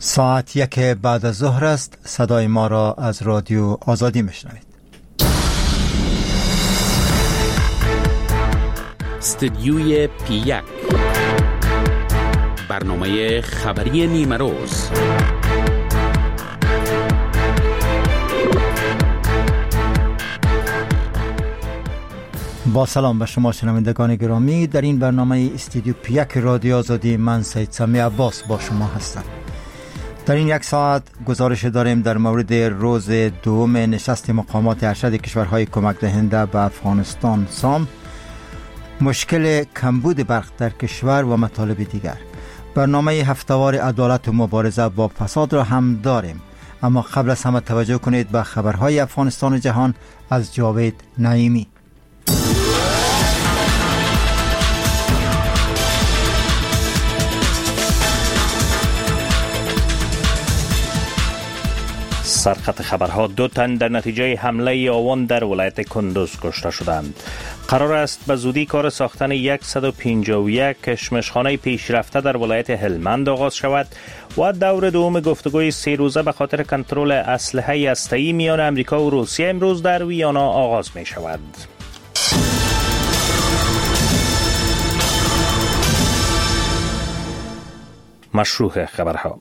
ساعت 1 بعد از ظهر است. صدای ما را از رادیو آزادی میشنوید. استودیوی پی 1، برنامه خبری نیمه روز. با سلام به شما شنوندگان گرامی، در این برنامه استودیو پی 1 رادیو آزادی من سید سمی عباس با شما هستم. در این یک ساعت گزارش داریم در مورد روز دوم نشست مقامات ارشد کشورهای کمک دهنده به افغانستان سام، مشکل کمبود برق در کشور و مطالب دیگر. برنامه هفته‌وار عدالت و مبارزه با فساد را هم داریم، اما قبل از همه توجه کنید به خبرهای افغانستان و جهان از جاوید نعیمی. سرخط خبرها: 2 تن در نتیجه حمله آوان در ولایت کندوز کشته شدند. قرار است به زودی کار ساختن 151 کشمشخانه پیشرفته در ولایت هلمند آغاز شود و دور دوم گفتگوی 3 روزه به خاطر کنترل اسلحه هسته‌ای میان امریکا و روسیه امروز در ویانا آغاز می شود. مشروح خبرها: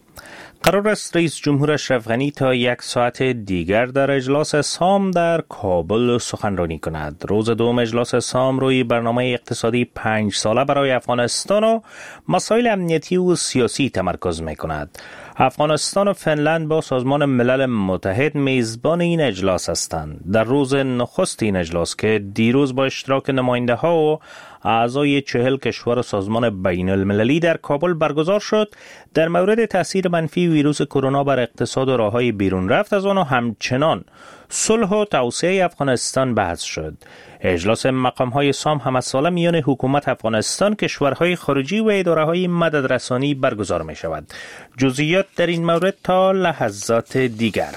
قرار است رئیس جمهور اشرف غنی تا 1 ساعت دیگر در اجلاس سام در کابل سخنرانی کند. روز دوم اجلاس سام روی برنامه اقتصادی 5 ساله برای افغانستان و مسائل امنیتی و سیاسی تمرکز می کند. افغانستان و فنلند با سازمان ملل متحد میزبان این اجلاس هستند. در روز نخست این اجلاس که دیروز با اشتراک نماینده ها و اعضای 40 کشور و سازمان بین المللی در کابل برگزار شد، در مورد تاثیر منفی ویروس کرونا بر اقتصاد و راه‌های بیرون رفت از آن و همچنان صلح و توسعه افغانستان بحث شد. اجلاس مقام‌های سام همه ساله میان حکومت افغانستان، کشورهای خارجی و اداره‌های مددرسانی برگزار می شود. جزئیات در این مورد تا لحظات دیگر.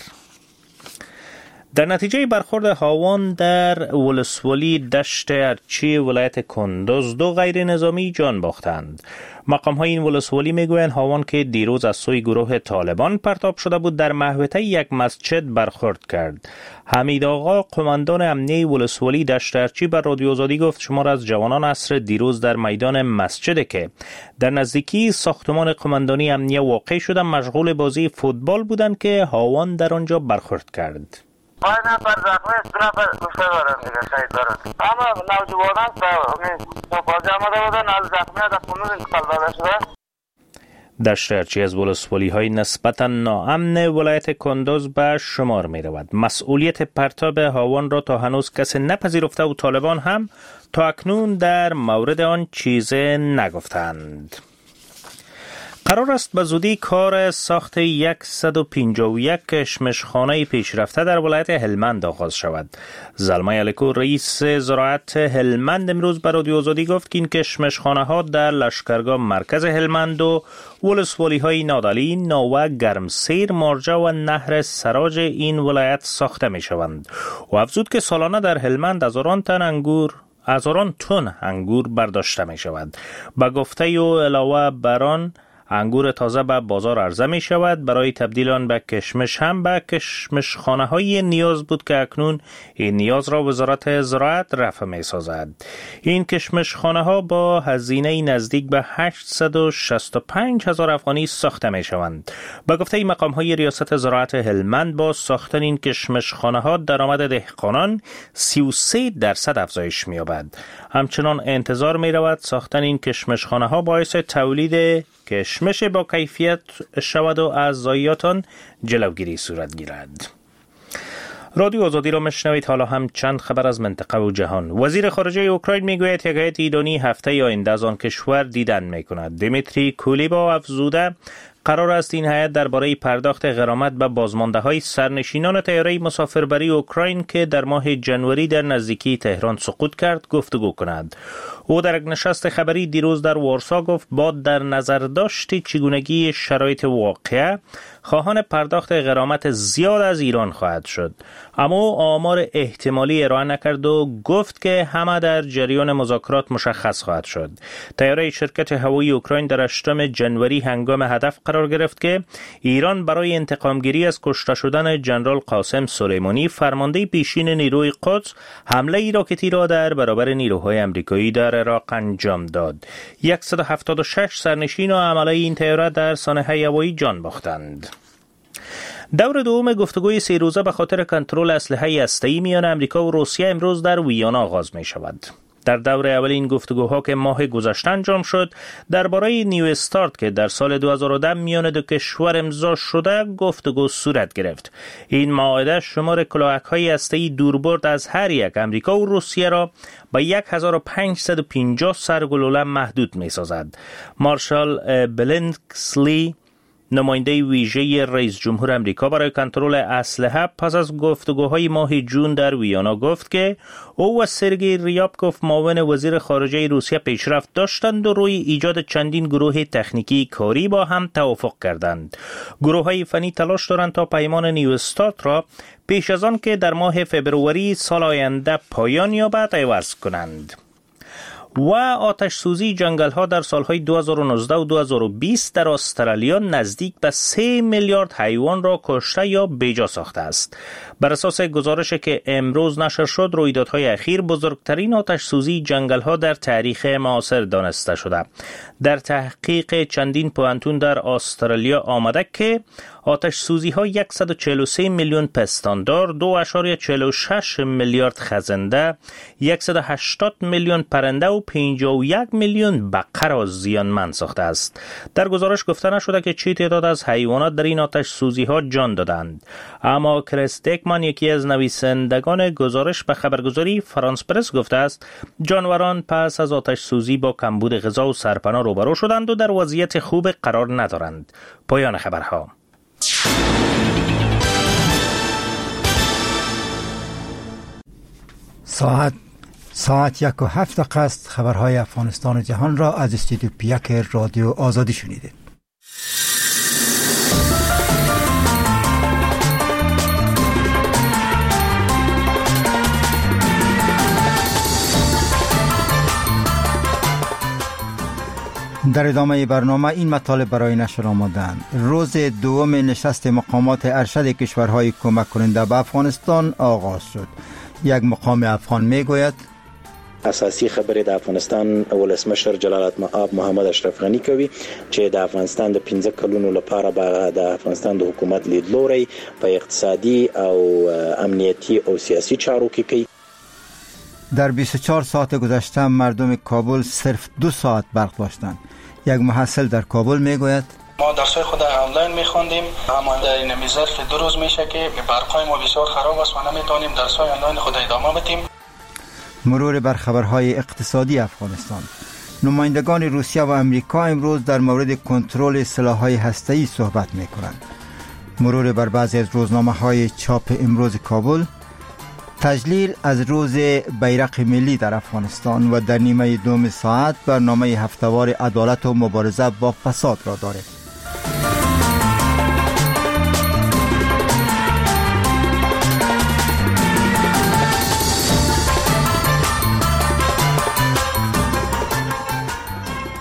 در نتیجه برخورد هاوان در ولسوالی دشت ارچی ولایت کندوز 2 غیر نظامی جان باختند. مقام های این ولسوالی میگویند هاوان که دیروز از سوی گروه طالبان پرتاب شده بود در محوطه یک مسجد برخورد کرد. حمید آقا، قماندان امنیه ولسوالی دشت ارچی، بر رادیو آزادی گفت شمار از جوانان عصر دیروز در میدان مسجد که در نزدیکی ساختمان قماندانی امنیه واقع شده مشغول بازی فوتبال بودند که هاوان در آنجا برخورد کرد. 5 نفر زخمی است، 2 نفر کشته دارن دیگه، شهید دارن. اما نوجوانان تا بازی آمده بودن از زخمی در قنوز انتقال داده شده. دشت ارچی از ولسوالی های نسبتا ناامن ولایت کندوز به شمار می رود. مسئولیت پرتاب هاوان را تا هنوز کسی نپذیرفته و طالبان هم تا اکنون در مورد آن چیز نگفتند. قرار است به زودی کار ساخت 151 کشمشخانه پیشرفته در ولایت هلمند آغاز شود. زلمای علیکو، رئیس زراعت هلمند، امروز به رادیو آزادی گفت که این کشمشخانه ها در لشکرگاه مرکز هلمند و ولسوالی های نادعلی، ناوه، گرمسیر، مارجه و نهر سراج این ولایت ساخته می شوند. و افزود که سالانه در هلمند هزاران تن انگور برداشته می شود. به گفته او علاوه بر آن انگور تازه به بازار عرضه می شود. برای تبدیل آن به کشمش هم به کشمشخانه های نیاز بود که اکنون این نیاز را وزارت زراعت رفع می سازد. این کشمشخانه ها با هزینه نزدیک به 865 هزار افغانی ساخته می شوند. به گفته مقام های ریاست زراعت هلمند با ساختن این کشمشخانه ها درآمد دهقانان 33% افزایش می یابد. همچنان انتظار می رود ساختن این کشمشخانه ها باعث تولید کشمش با کیفیت شود و از ضایعات آن جلوگیری صورت گیرد. رادیو آزادی را میشنوید. حالا هم چند خبر از منطقه و جهان. وزیر خارجه اوکراین میگوید یک هیئت ایرانی هفته آینده از آن کشور دیدن میکند. دیمیتری کولیبا افزوده قرار است این هیئت درباره پرداخت غرامت به بازمانده‌های سرنشینان طیاره مسافربری اوکراین که در ماه جنوری در نزدیکی تهران سقوط کرد گفتگو کند. او در یک نشست خبری دیروز در وارسا گفت با در نظر داشت چگونگی شرایط واقعه خواهان پرداخت غرامت زیاد از ایران خواهد شد. اما او آمار احتمالی ارائه نکرد و گفت که همه در جریان مذاکرات مشخص خواهد شد. طیاره شرکت هوایی اوکراین در 8 جنوری هنگام هدف قرار قرار گرفت که ایران برای انتقامگیری از کشته شدن جنرال قاسم سلیمانی، فرمانده پیشین نیروی قدس، حمله راکتی را در برابر نیروهای امریکایی در عراق انجام داد. 176 سرنشین و عمله این طیاره در سانحه هوایی جان باختند. دور دوم گفتگوی 3 روزه به خاطر کنترل اسلحه هسته‌ای میان امریکا و روسیه امروز در ویانا آغاز می شود. در دور اول این گفتگوها که ماه گذشته انجام شد، درباره نیو استارت که در سال 2010 میان دو کشور امضا شده گفتگو صورت گرفت. این معاهده شمار کلاهک‌های هسته‌ای دوربرد از هر یک امریکا و روسیه را به 1550 سرگلوله محدود می‌سازد. مارشال بلنکسلی، نماینده ویژه رئیس جمهور امریکا برای کنترل اسلحه، پس از گفتگوهای ماه جون در ویانا گفت که او و سرگی ریابکوف، معاون وزیر خارجه روسیه، پیشرفت داشتند و روی ایجاد چندین گروه تکنیکی کاری با هم توافق کردند. گروه‌های فنی تلاش دارند تا پیمان نیو استارت را پیش از آن که در ماه فبروری سال آینده پایان یابد عوض کنند. و آتش سوزی جنگل ها در سالهای 2019 و 2020 در استرالیا نزدیک به 3 میلیارد حیوان را کشته یا بیجا ساخته است. بر اساس گزارش که امروز نشر شد، رویدادهای اخیر بزرگترین آتش سوزی جنگل ها در تاریخ معاصر دانسته شده. در تحقیق چندین پوهنتون در استرالیا آمده که آتش سوزی ها 143 میلیون پستاندار، 2.46 میلیارد خزنده، 180 میلیون پرنده و 51 میلیون بقره را زیانمند ساخته است. در گزارش گفته نشده که چه تعداد از حیوانات در این آتش سوزی ها جان دادند. اما کریس دیکمان، یکی از نویسندگان گزارش، به خبرگزاری فرانس پرس گفته است جانوران پس از آتش سوزی با کمبود غذا و سرپناه روبرو شدند و در وضعیت خوب قرار ندارند. پایان خبرها. ساعت 1:07 است. خبرهای افغانستان و جهان را از استودیو پیک رادیو آزادی شنیدید. در ادامه برنامه این مطالب برای نشر آمدند. روز دوم نشست مقامات ارشد کشورهای کمک کننده به افغانستان آغاز شد. یک مقام افغان میگوید اساسي خبرې د افغانستان ولسمشر جلالت مآب محمد اشرف غنی کوي چې د افغانستان د 15 کلونو لپاره به د افغانستان د حکومت لیدلوری په اقتصادي او امنیتي او سیاسي چارو کې کوي. در 24 ساعت گذشته مردم کابل صرف 2 ساعت برق داشتند. یک محصل در کابل میگوید ما درسای خود آنلاین میخوندیم، اما در این ظرف 2 روز میشه که برقای ما بسیار خراب است و نمیتونیم درسای آنلاین خود ادامه بدیم. مرور بر خبرهای اقتصادی افغانستان. نمایندگان روسیه و امریکا امروز در مورد کنترل سلاح‌های هسته‌ای صحبت میکنند. مرور بر بعضی از روزنامه‌های چاپ امروز کابل. تجلیل از روز بیرق ملی در افغانستان و در نیمه دوم ساعت برنامه هفته‌وار عدالت و مبارزه با فساد را دارد.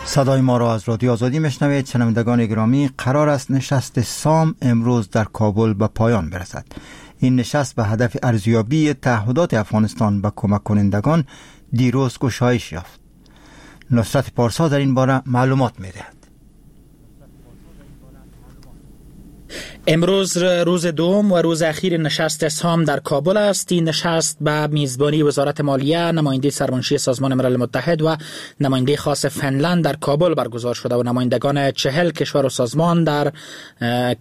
صدای ما را از رادیو آزادی میشنوید. شنوندگان گرامی، قرار است نشست سام امروز در کابل به پایان برسد. این نشست به هدف ارزیابی تعهدات افغانستان به کمک کنندگان دیروز گشایش یافت. نصرت پارسا در این باره معلومات میدهد. امروز روز دوم و روز اخیر نشست سام در کابل است. این نشست به میزبانی وزارت مالیه، نماینده سرمنشی سازمان ملل متحد و نماینده خاص فنلند در کابل برگزار شده و نمایندگان 40 کشور و سازمان در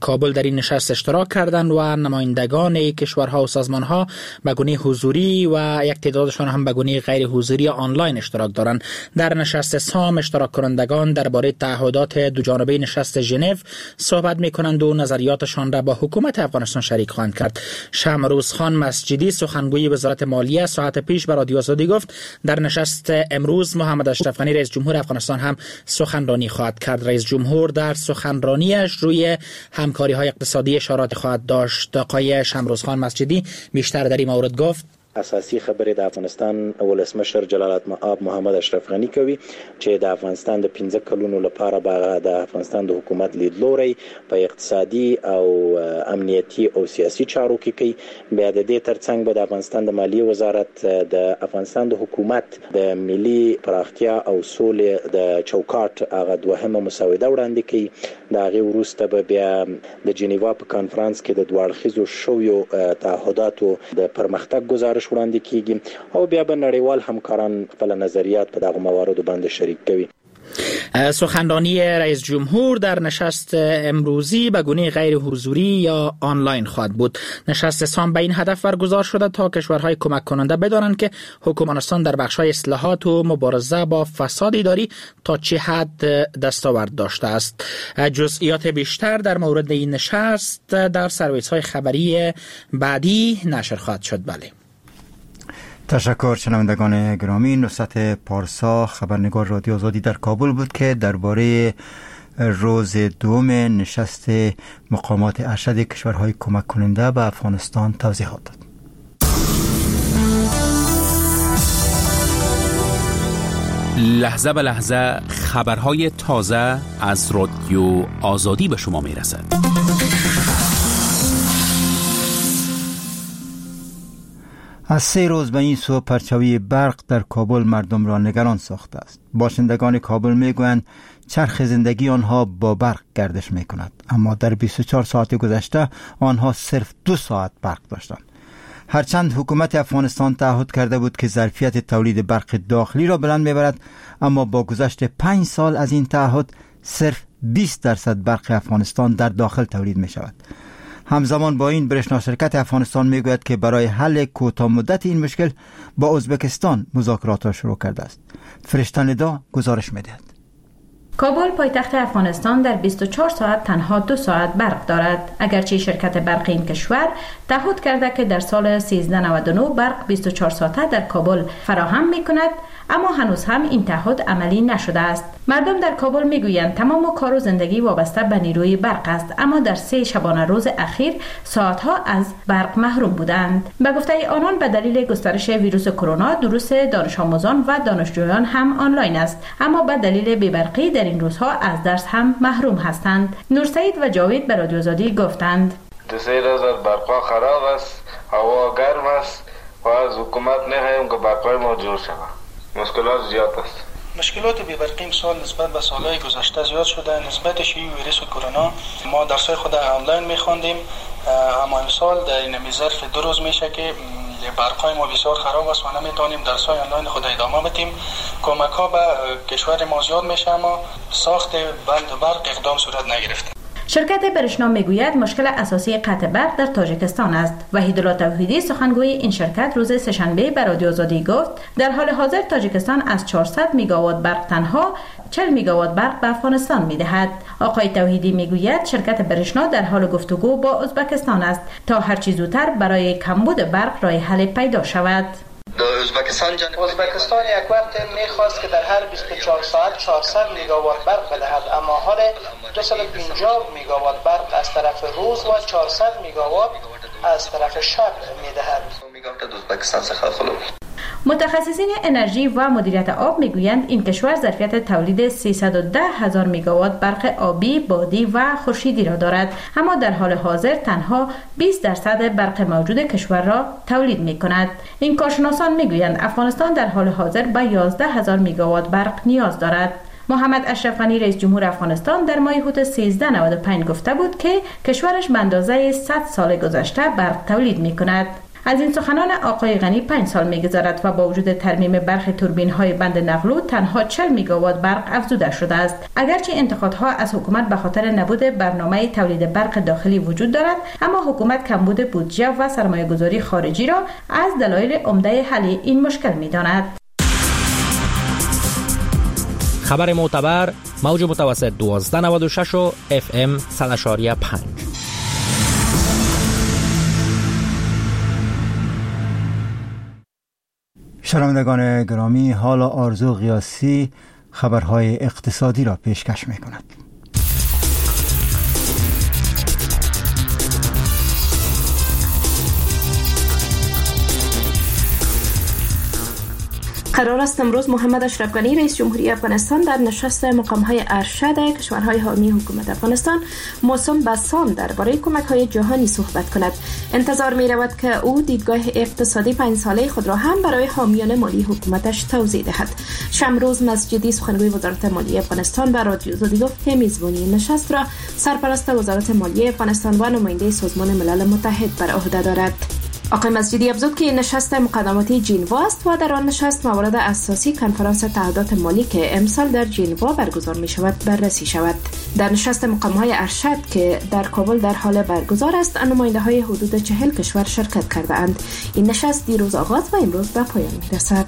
کابل در این نشست اشتراک کردند و نمایندگان کشورها و سازمانها به گونه حضوری و یک تعدادشان هم به گونه غیر حضوری آنلاین اشتراک دارند. در نشست سام اشتراک کنندگان درباره تعهدات دو جانبه نشست ژنو صحبت می‌کنند و نظریات شان را با حکومت افغانستان شریک خواهند کرد. شمروز خان مسجدی، سخنگوی وزارت مالیه، ساعت پیش به رادیو آزادی گفت در نشست امروز محمد اشرف غنی رئیس جمهور افغانستان هم سخنرانی خواهد کرد. رئیس جمهور در سخنرانیش روی همکاری های اقتصادی اشارات خواهد داشت. آقای شمروز خان مسجدی بیشتر در این مورد گفت: اساسي خبرې د افغانستان ولسمشر جلالت مآب محمد اشرف غني کوي چې د افغانستان د 15 کلونو لپاره به د افغانستان د حکومت لیدلوری په اقتصادي او امنیتي او سیاسي چارو کې کوي. بیا د دې ترڅنګ به د افغانستان د مالیې وزارت د افغانستان د حکومت د ملي پراختیا او سولې د چوکاټ هغه دوهمه مسوده وړاندې کوي. د هغې وروسته به بیا د جنیوا په کانفرانس کې د دوه اړخیزو شویو تعهداتو د پرمختګ ګزارش وړاندې کیږي او بیا به نړیوال همکاران خپل نظریات په دغو مواردو باندې شریک کوي. سخنرانی رئیس جمهور در نشست امروزی به گونه غیر حضوری یا آنلاین خواهد بود. نشست سام به این هدف برگزار شده تا کشورهای کمک کننده بدانند که حکومت افغانستان در بخش‌های اصلاحات و مبارزه با فساد اداری تا چه حد دستاورد داشته است. جزئیات بیشتر در مورد این نشست در سرویس‌های خبری بعدی نشر خواهد شد. بله. تشکر شنوندگان گرامی. نصرت پارسا خبرنگار رادیو آزادی در کابل بود که درباره روز دوم نشست مقامات ارشد کشورهای کمک کننده به افغانستان توضیحات داد. لحظه به لحظه خبرهای تازه از رادیو آزادی به شما میرسد. از 3 روز به این سو پرچوی برق در کابل مردم را نگران ساخته است. باشندگان کابل میگویند چرخ زندگی آنها با برق گردش میکند، اما در 24 ساعت گذشته آنها صرف 2 ساعت برق داشتند. هرچند حکومت افغانستان تعهد کرده بود که ظرفیت تولید برق داخلی را بلند میبرد، اما با گذشت 5 سال از این تعهد صرف 20% برق افغانستان در داخل تولید می شود. همزمان با این برشنا شرکت افغانستان میگوید که برای حل کوتاه مدت این مشکل با ازبکستان مذاکرات را شروع کرده است. فرشته ندا گزارش میدهد. کابل پایتخت افغانستان در 24 ساعت تنها 2 ساعت برق دارد. اگرچه شرکت برق این کشور تعهد کرده که در سال 1399 برق 24 ساعته در کابل فراهم می کند، اما هنوز هم این تعهد عملی نشده است. مردم در کابل میگویند تمام کار و زندگی وابسته به نیروی برق است، اما در 3 شبانه روز اخیر ساعتها از برق محروم بودند. به گفته آنان به دلیل گسترش ویروس کرونا دروس دانش آموزان و دانشجویان هم آنلاین است، اما به دلیل بی‌برقی در این روزها از درس هم محروم هستند. نورسعید و جاوید به رادیو آزادی گفتند: 2-3 روز برق‌ها خراب است، هوا گرم است و از حکومت نخواهیم که برق‌های ما جور شود. مشکلات زیاد است. مشکلات بی‌برقی امسال نسبت به سالهای گذشته زیاد شده. نسبت شیوع ویروس کرونا ما درس‌های خود آنلاین می‌خواندیم، اما امسال در این ظرف 2 روز میشه که برق‌های ما بسیار خراب است و نمیتونیم درس‌های آنلاین خود ادامه بدیم. کمک‌ها به کشور ما زیاد میشه، اما ساخت بند برق اقدام صورت نگرفته. شرکت برشنا میگوید مشکل اساسی قطع برق در تاجیکستان است. وحیدالله توحیدی سخنگوی این شرکت روز سه‌شنبه به رادیو آزادی گفت در حال حاضر تاجیکستان از 400 مگاوات برق تنها 40 مگاوات برق به افغانستان میدهد. آقای توحیدی میگوید شرکت برشنا در حال گفتگو با ازبکستان است تا هرچی زودتر برای کمبود برق راه حل پیدا شود. ازبکستان یک وقت میخواست که در هر 24 ساعت 400 مگاوات برق بدهد، اما حال 250 مگاوات برق از طرف روز و 400 مگاوات از طرف شب میدهد. متخصصین انرژی و مدیریت آب میگویند این کشور ظرفیت تولید 310 هزار مگاوات برق آبی، بادی و خورشیدی را دارد، اما در حال حاضر تنها 20% برق موجود کشور را تولید می کند. این کارشناسان میگویند افغانستان در حال حاضر به 11 هزار مگاوات برق نیاز دارد. محمد اشرف غنی رئیس جمهور افغانستان در ماه حوت 1395 گفته بود که کشورش به اندازه 100 سال گذشته برق تولید می کند. از این سخنان آقای غنی 5 سال می‌گذرد و با وجود ترمیم برخی توربین‌های بند نغلو تنها 40 مگاوات برق افزوده شده است. اگرچه انتقادها از حکومت به خاطر نبود برنامه تولید برق داخلی وجود دارد، اما حکومت کمبود بودجه و سرمایه‌گذاری خارجی را از دلایل عمده حل این مشکل می‌داند. خبر معتبر، موج متوسط 1296 و FM 100.5. شنوندگان گرامی، حالا آرزو غیاثی خبرهای اقتصادی را پیشکش می کند. قرار است امروز محمد اشرف غنی رئیس جمهوری افغانستان در نشست مقام‌های ارشد کشورهای حامی حکومت افغانستان موسوم به سام درباره کمک‌های جهانی صحبت کند. انتظار می‌رود که او دیدگاه اقتصادی 5 ساله خود را هم برای حامیان مالی حکومتش توضیح دهد. شمروز مسجدی سخنگوی وزارت مالی افغانستان به رادیو آزادی گفت که میزبانی نشست را سرپرست وزارت مالی افغانستان و نماینده سازمان ملل متحد بر عهده دارد. آقای مسجدی افزود که نشست مقدماتی جنوا است و در آن نشست موارد اساسی کنفرانس تعهدات مالی که امسال در جنوا برگزار می شود بررسی شود. در نشست مقام‌های ارشد که در کابل در حال برگزار است، نماینده‌های حدود 40 کشور شرکت کرده اند. این نشست دیروز آغاز و امروز به پایان می رسد.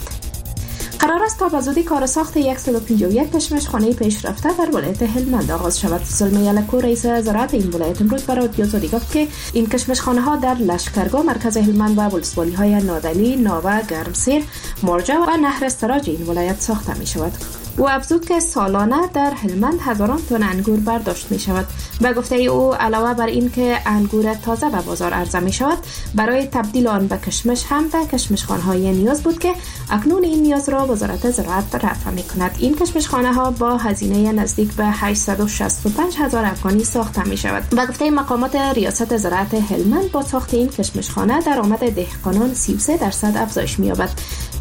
قرار است تا به زودی کار ساخت 151 کشمش خانه پیشرفته در ولایت هلمند آغاز شود. زلمی یلکو رئیس زراعت این ولایت امروز برای رادیو آزادی گفت که این کشمش خانه ها در لشکرگاه مرکز هلمند و ولسوالی های نادلی، ناوه، گرمسیر، مرجع و نهر سراج این ولایت ساخته می شود. او افزود که سالانه در هلمند هزاران تن انگور برداشت می شود. به گفته او علاوه بر این که انگور تازه به بازار عرضه می شود، برای تبدیل آن به کشمش هم به کشمشخانه‌های نیاز بود که اکنون این نیاز را وزارت زراعت رفع می کند. این کشمشخانه ها با هزینه نزدیک به 865 هزار افغانی ساخته می شود. به گفته مقامات ریاست زراعت هلمند با ساخت این کشمشخانه درآمد دهقانان 33% افزایش می یابد.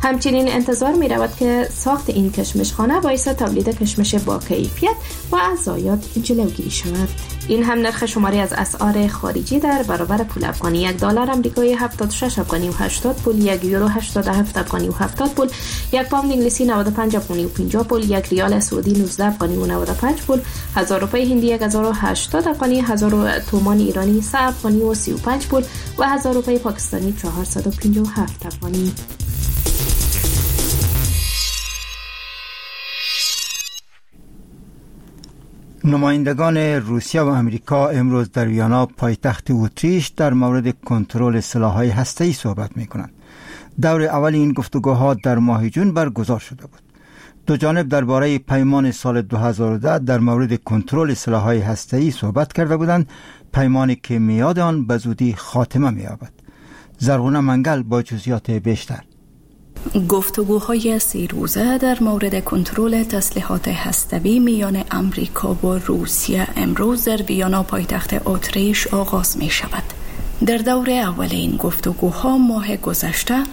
همچنین انتظار می رود که ساخت این کشمشخانه باعث تولید کشمش با کیفیت و از ضایعات جلوگیری شود. این هم نرخ شماری از اسعار خارجی در برابر پول افغانی: 1 دلار آمریکایی 76 افغانی و 80 پول، 1 یورو 87 افغانی و 70 پول، 1 پوند انگلیسی 95 افغانی و 50 پول، 1 ریال سعودی 19 افغانی و 95 پول، 1000 روپیه هندی 1080 افغانی، 1000 تومان ایرانی 3 افغانی و 35 پول و 1000 روپیه پاکستانی 457 افغانی. نمایندگان روسیه و امریکا امروز در ویانا پایتخت اتریش در مورد کنترل سلاح‌های هسته‌ای صحبت می‌کنند. دور اول این گفتگوها در ماه جون برگزار شده بود. دو جانب درباره پیمان سال 2010 در مورد کنترل سلاح‌های هسته‌ای صحبت کرده بودند، پیمانی که میعاد آن به زودی خاتمه می‌یابد. زرغونه منگل با جزئیات بیشتر. گفتگوهای 3 روزه در مورد کنترل تسلیحات هستوی میان امریکا و روسیه امروز در ویانا پایتخت اتریش آغاز می شود. در دور اول این گفتگوها ماه گذشته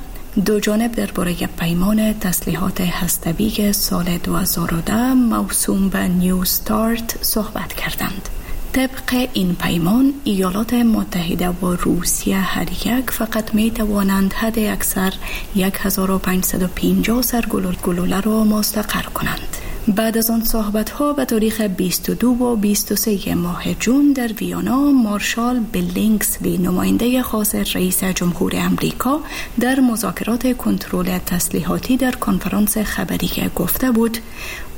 دو جانب درباره پیمان تسلیحات هستوی سال 2010 موسوم به نیو ستارت صحبت کردند. طبق این پیمان ایالات متحده و روسیه هر یک فقط می توانند حد اکثر 1550 سر گلوله را مستقر کنند. بعد از آن صحبت‌ها به تاریخ 22 و 23 ماه جون در ویانا مارشال بیلینگزلی نماینده خاص رئیس جمهور امریکا در مذاکرات کنترل تسلیحاتی در کنفرانس خبری گفته بود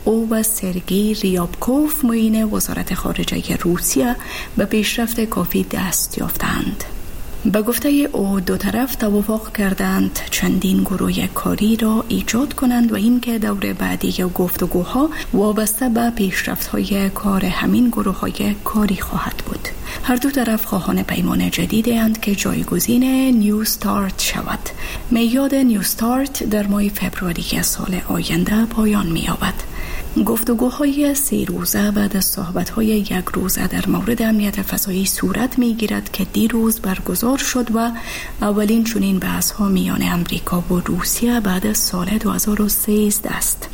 او و سرگی ریابکوف معین وزارت خارجه روسیه به پیشرفت کافی دست یافتند. به گفته او دو طرف توافق کردند چندین گروه کاری را ایجاد کنند و اینکه دور بعدی گفتگوها وابسته به پیشرفت‌های کار همین گروه‌های کاری خواهد بود. هر دو طرف خواهان پیمان جدید اند که جایگزین نیو ستارت شود. میعاد نیو ستارت در ماه فوریه سال آینده پایان می‌یابد. گفتگوهای 3 روزه بعد از صحبت‌های 1 روزه در مورد امنیت فضایی صورت می‌گیرد که دیروز برگزار شد و اولین چنین بحث‌ها میان امریکا و روسیه بعد از سال 2013 است.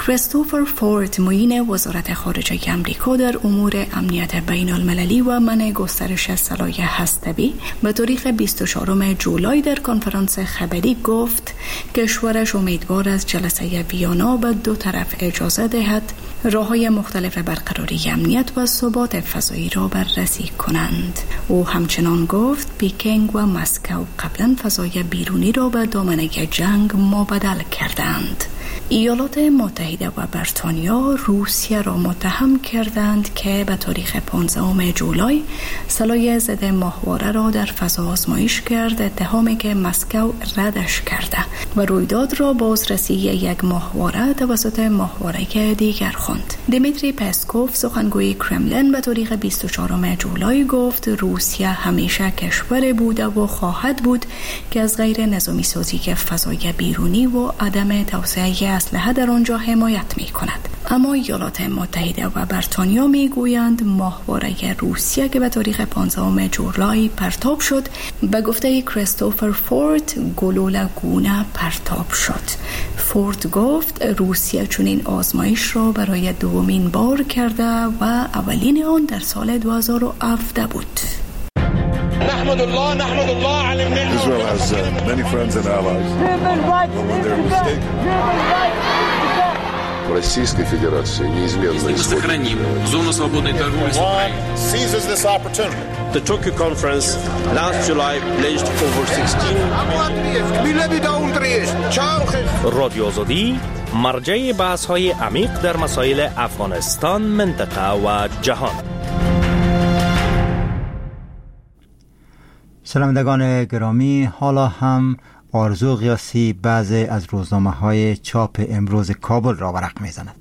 کریستوفر فورد معین وزارت خارجه امریکا در امور امنیت بین المللی و منع گسترش سلاح هستوی به تاریخ 24 جولای در کنفرانس خبری گفت کشورش امیدوار است جلسه ویانا به دو طرف اجازه دهد راه‌های مختلف برقراری امنیت و ثبات فضایی را بررسی کنند. او همچنان گفت پیکنگ و مسکو قبلا فضای بیرونی را به دامنه جنگ مبادل کردند. ایالات متحده و بریتانیا روسیه را متهم کردند که به تاریخ 15 جولای سلاح ضد ماهواره را در فضا آزمایش کرد، اتهامی که مسکو ردش کرده و رویداد را بازرسی یک ماهواره توسط ماهواره دیگر خواند. دیمیتری پسکوف، سخنگوی کرملین، به تاریخ 24 جولای گفت روسیه همیشه کشور بوده و خواهد بود که از غیر نظامی سازی فضای بیرونی و عدم توسعه اسلحه در آنجا حمایت می کند. اما ایالات متحده و بریتانیا می گویند ماهواره روسیه که به تاریخ 15 جولای پرتاب شد، به گفته کریستوفر فورد گلوله گونه پرتاب شد. فورد گفت روسیه چنین آزمایش را برای دومین بار کرده و اولین آن در سال 2017 بود. Israel has many friends and allies. But when they're mistaken, Российской Федерации неизменно Мы сохраним зону свободной торговли с Украиной. Seizes this opportunity. The Tokyo conference last July pledged over 16. رادیو آزادی، مرجع بحث های عمیق در مسائل افغانستان، منطقه و جهان. شنوندگان گرامی، حالا هم آرزو غیاثی بعضی از روزنامه های چاپ امروز کابل را ورق میزند.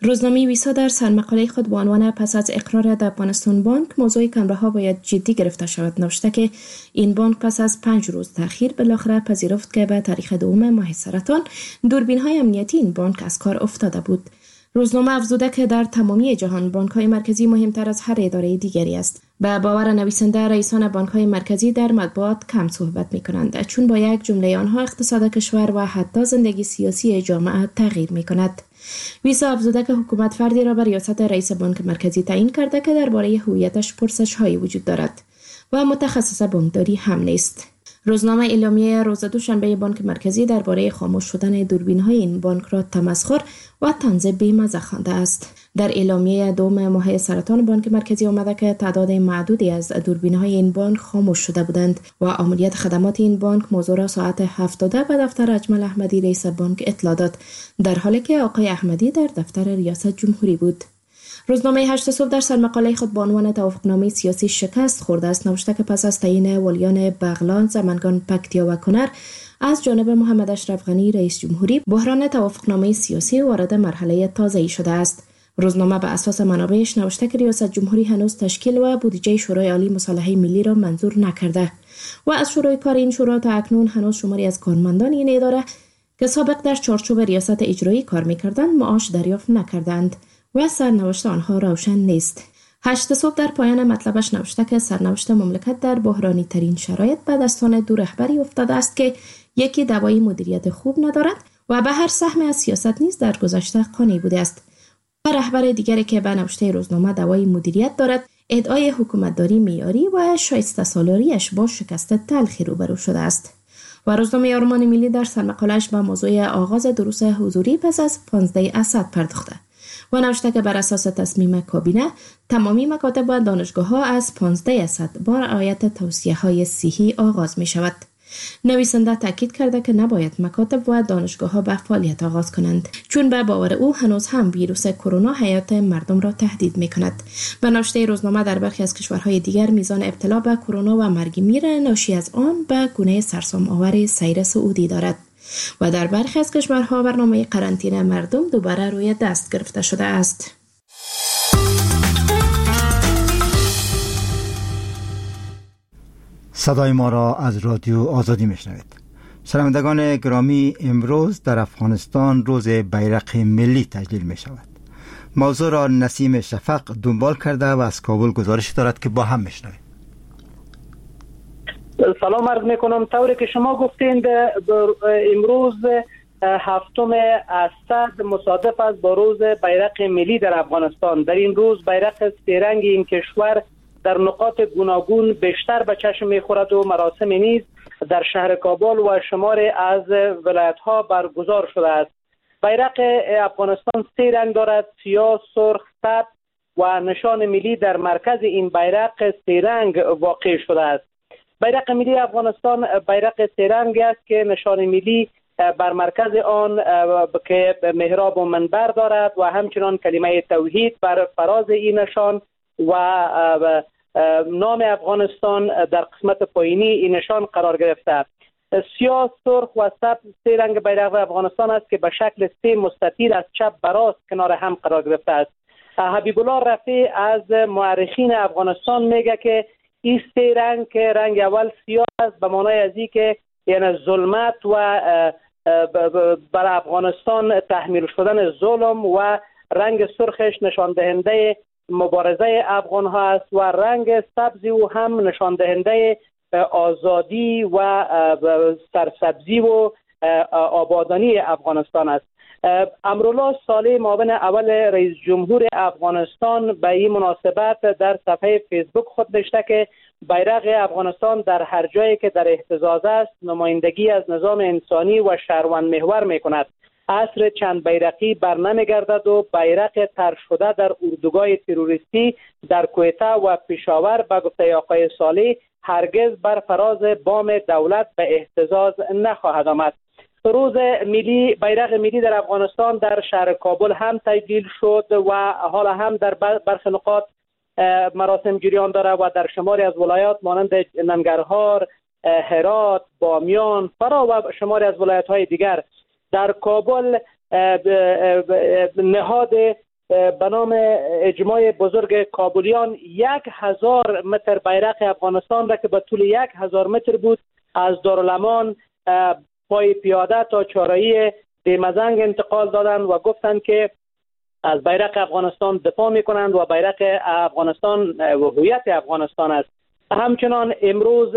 روزنامه ویسا در سرمقاله خود با عنوان پس از اقرار در افغانستان بانک موضوع کمره ها باید جدی گرفته شود نوشته که این بانک پس از 5 روز تأخیر بالاخره پذیرفت که به تاریخ 2 ماه سرطان دوربین های امنیتی این بانک از کار افتاده بود. روزنامه افزوده که در تمامی جهان بانک های مرکزی مهمتر از هر اداره دیگری است. به باور نویسنده، رئیسان بانک های مرکزی در مطبوعات کم صحبت می کنند، چون با یک جمله آنها اقتصاد کشور و حتی زندگی سیاسی جامعه تغییر می کند. ویسا افزوده که حکومت فردی را به ریاست رئیس بانک مرکزی تعیین کرده که درباره هویتش پرسش های وجود دارد و متخصص بانکداری هم نیست. روزنامه اعلامیه روز دوشنبه بانک مرکزی درباره خاموش شدن دوربین‌های این بانک را تمسخر و طنز بی‌مزه خوانده است. در اعلامیه 2 ماه سرطان بانک مرکزی آمده که تعداد معدودی از دوربین‌های این بانک خاموش شده بودند و عملیات خدمات این بانک موضوع را ساعت 7:00 به دفتر اجمل احمدی رئیس بانک اطلاع داد، در حالی که آقای احمدی در دفتر ریاست جمهوری بود. روزنامه 8 صبح در سرمقاله خود با عنوان توافقنامه سیاسی شکست خورده است نوشته که پس از تعیین والیان بغلان، سمنگان، پکتیا و کنر از جانب محمد اشرف غنی رئیس جمهوری، بحران توافقنامه سیاسی وارد مرحله تازه‌ای شده است. روزنامه به اساس منابعش نوشته که ریاست جمهوری هنوز تشکیل و بودجه شورای عالی مصالحه ملی را منظور نکرده و از شورای کار این شورا تا اکنون هنوز شماری از کارمندان این اداره که سابق در چارچوب ریاست اجرایی کار می‌کردند معاش دریافت نکردند و سرنوشت آنها روشن نیست. 8 صبح در پایان مطلبش نوشته که سرنوشت مملکت در بحرانی ترین شرایط به دستان دو رهبری افتاده است که یکی دوای مدیریت خوب ندارد و به هر سهم از سیاست نیز در گذشته قانع بوده است و رهبر دیگری که به نوشته روزنامه دوای مدیریت دارد ادعای حکومتداری معیاری و شایسته سالاریش با شکست تلخی روبرو شده است. و روزنامه آرمان ملی در سرمقاله‌اش به موضوع آغاز دروس حضوری پس از 15 اسد پرداخته و نوشته که بر اساس تصمیم کابینه تمامی مکاتب و دانشگاه‌ها از 15 اسد با رعایت توصیه‌های صحی آغاز می شود. نویسنده تاکید کرده که نباید مکاتب و دانشگاه‌ها به فعالیت آغاز کنند، چون به باور او هنوز هم ویروس کرونا حیات مردم را تهدید می کند. به نوشته روزنامه در برخی از کشورهای دیگر میزان ابتلا به کرونا و مرگ میر ناشی از آن به گونه سرسام آور سیر صعودی دارد و در برخی از کشورها برنامه قرنطینه مردم دوباره روی دست گرفته شده است. صدای ما را از رادیو آزادی میشنوید. شنوندگان گرامی، امروز در افغانستان روز بیرق ملی تجلیل می شود. موضوع را نسیم شفق دنبال کرده و از کابل گزارش دارد که با هم میشنویم. سلام عرض میکنم. طوری که شما گفتین امروز 7 اسد مصادف است با روز بیرق ملی در افغانستان. در این روز بیرق سه رنگ این کشور در نقاط گوناگون بیشتر به چشم میخورد و مراسم نیز در شهر کابل و شمار از ولایت ها برگزار شده است. بیرق افغانستان سه رنگ دارد: سیاه، سرخ، سبز و نشان ملی در مرکز این بیرق سه رنگ واقع شده است. بیرق ملی افغانستان بیرق سه رنگ است که نشان ملی بر مرکز آن که محراب و منبر دارد و همچنان کلمه توحید بر فراز این نشان و نام افغانستان در قسمت پایینی این نشان قرار گرفته. سیاه، سرخ و سبز سه رنگ بیرق افغانستان است که به شکل سه مستطیل از چپ به راست کنار هم قرار گرفته است. حبیب الله رفیع از مؤرخین افغانستان میگه که این سه رنگ که رنگ اول سیاه است به معنای از که یعنی ظلمت و بر افغانستان تحمیل شدن ظلم، و رنگ سرخش نشان دهنده مبارزه افغان ها است و رنگ سبز او هم نشان دهنده آزادی و سرسبزی و آبادانی افغانستان است. امرالله صالح معاون اول رئیس جمهور افغانستان به این مناسبت در صفحه فیسبوک خود نوشته که بیرق افغانستان در هر جایی که در اهتزاز است نمایندگی از نظام انسانی و شهروند محور می کند. عصر چند بیرقی بر نمی گردد و بیرق تر شده در اردوگاه تروریستی در کویته و پشاور به گفته آقای صالح هرگز بر فراز بام دولت به اهتزاز نخواهد آمد. روز ملی بیرق ملی در افغانستان در شهر کابل هم تجلیل شد و حالا هم در برخی نقاط مراسم جریان داره و در شماری از ولایات مانند ننگرهار، هرات، بامیان، فراه و شماری از ولایت های دیگر. در کابل نهاد به نام اجماع بزرگ کابلیان 1000 متر بیرق افغانستان را که به طول 1000 متر بود از دارالامان پای پیاده تا چارایی دیمزنگ انتقال دادند و گفتند که از بیرق افغانستان دفاع میکنند و بیرق افغانستان و هویت افغانستان است. همچنان امروز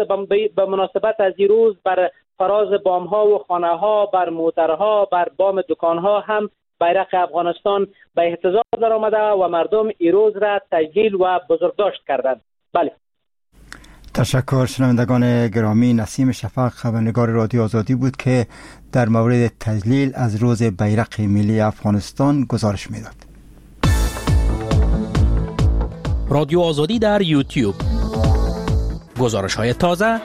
به مناسبت از این روز بر فراز بام ها و خانه ها، بر موترها، بر بام دکان ها هم بیرق افغانستان به اهتزاز در آمده و مردم این روز را تجلیل و بزرگداشت کردند. بله، تشکر. شنوندگان گرامی، نسیم شفق خبرنگار رادیو آزادی بود که در مورد تجلیل از روز بیرق ملی افغانستان گزارش میداد. رادیو آزادی در یوتیوب، گزارش های تازه،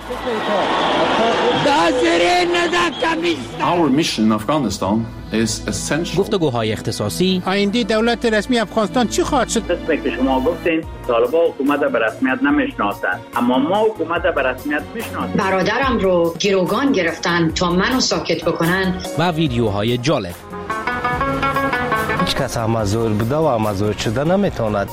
Our mission in Afghanistan is essential. گفتگوهای اختصاصی، آینده دولت رسمی افغانستان چی خواهد شد؟ قسمی که شما گفتین طالبان حکومت به رسمیت نمیشناسند، اما ما حکومت به رسمیت میشناسیم. برادرم رو گروگان گرفتن تا منو ساکت بکنن و ویدیوهای جالب. هیچ کس هم زور بوده و هم زور شده نمیتواند.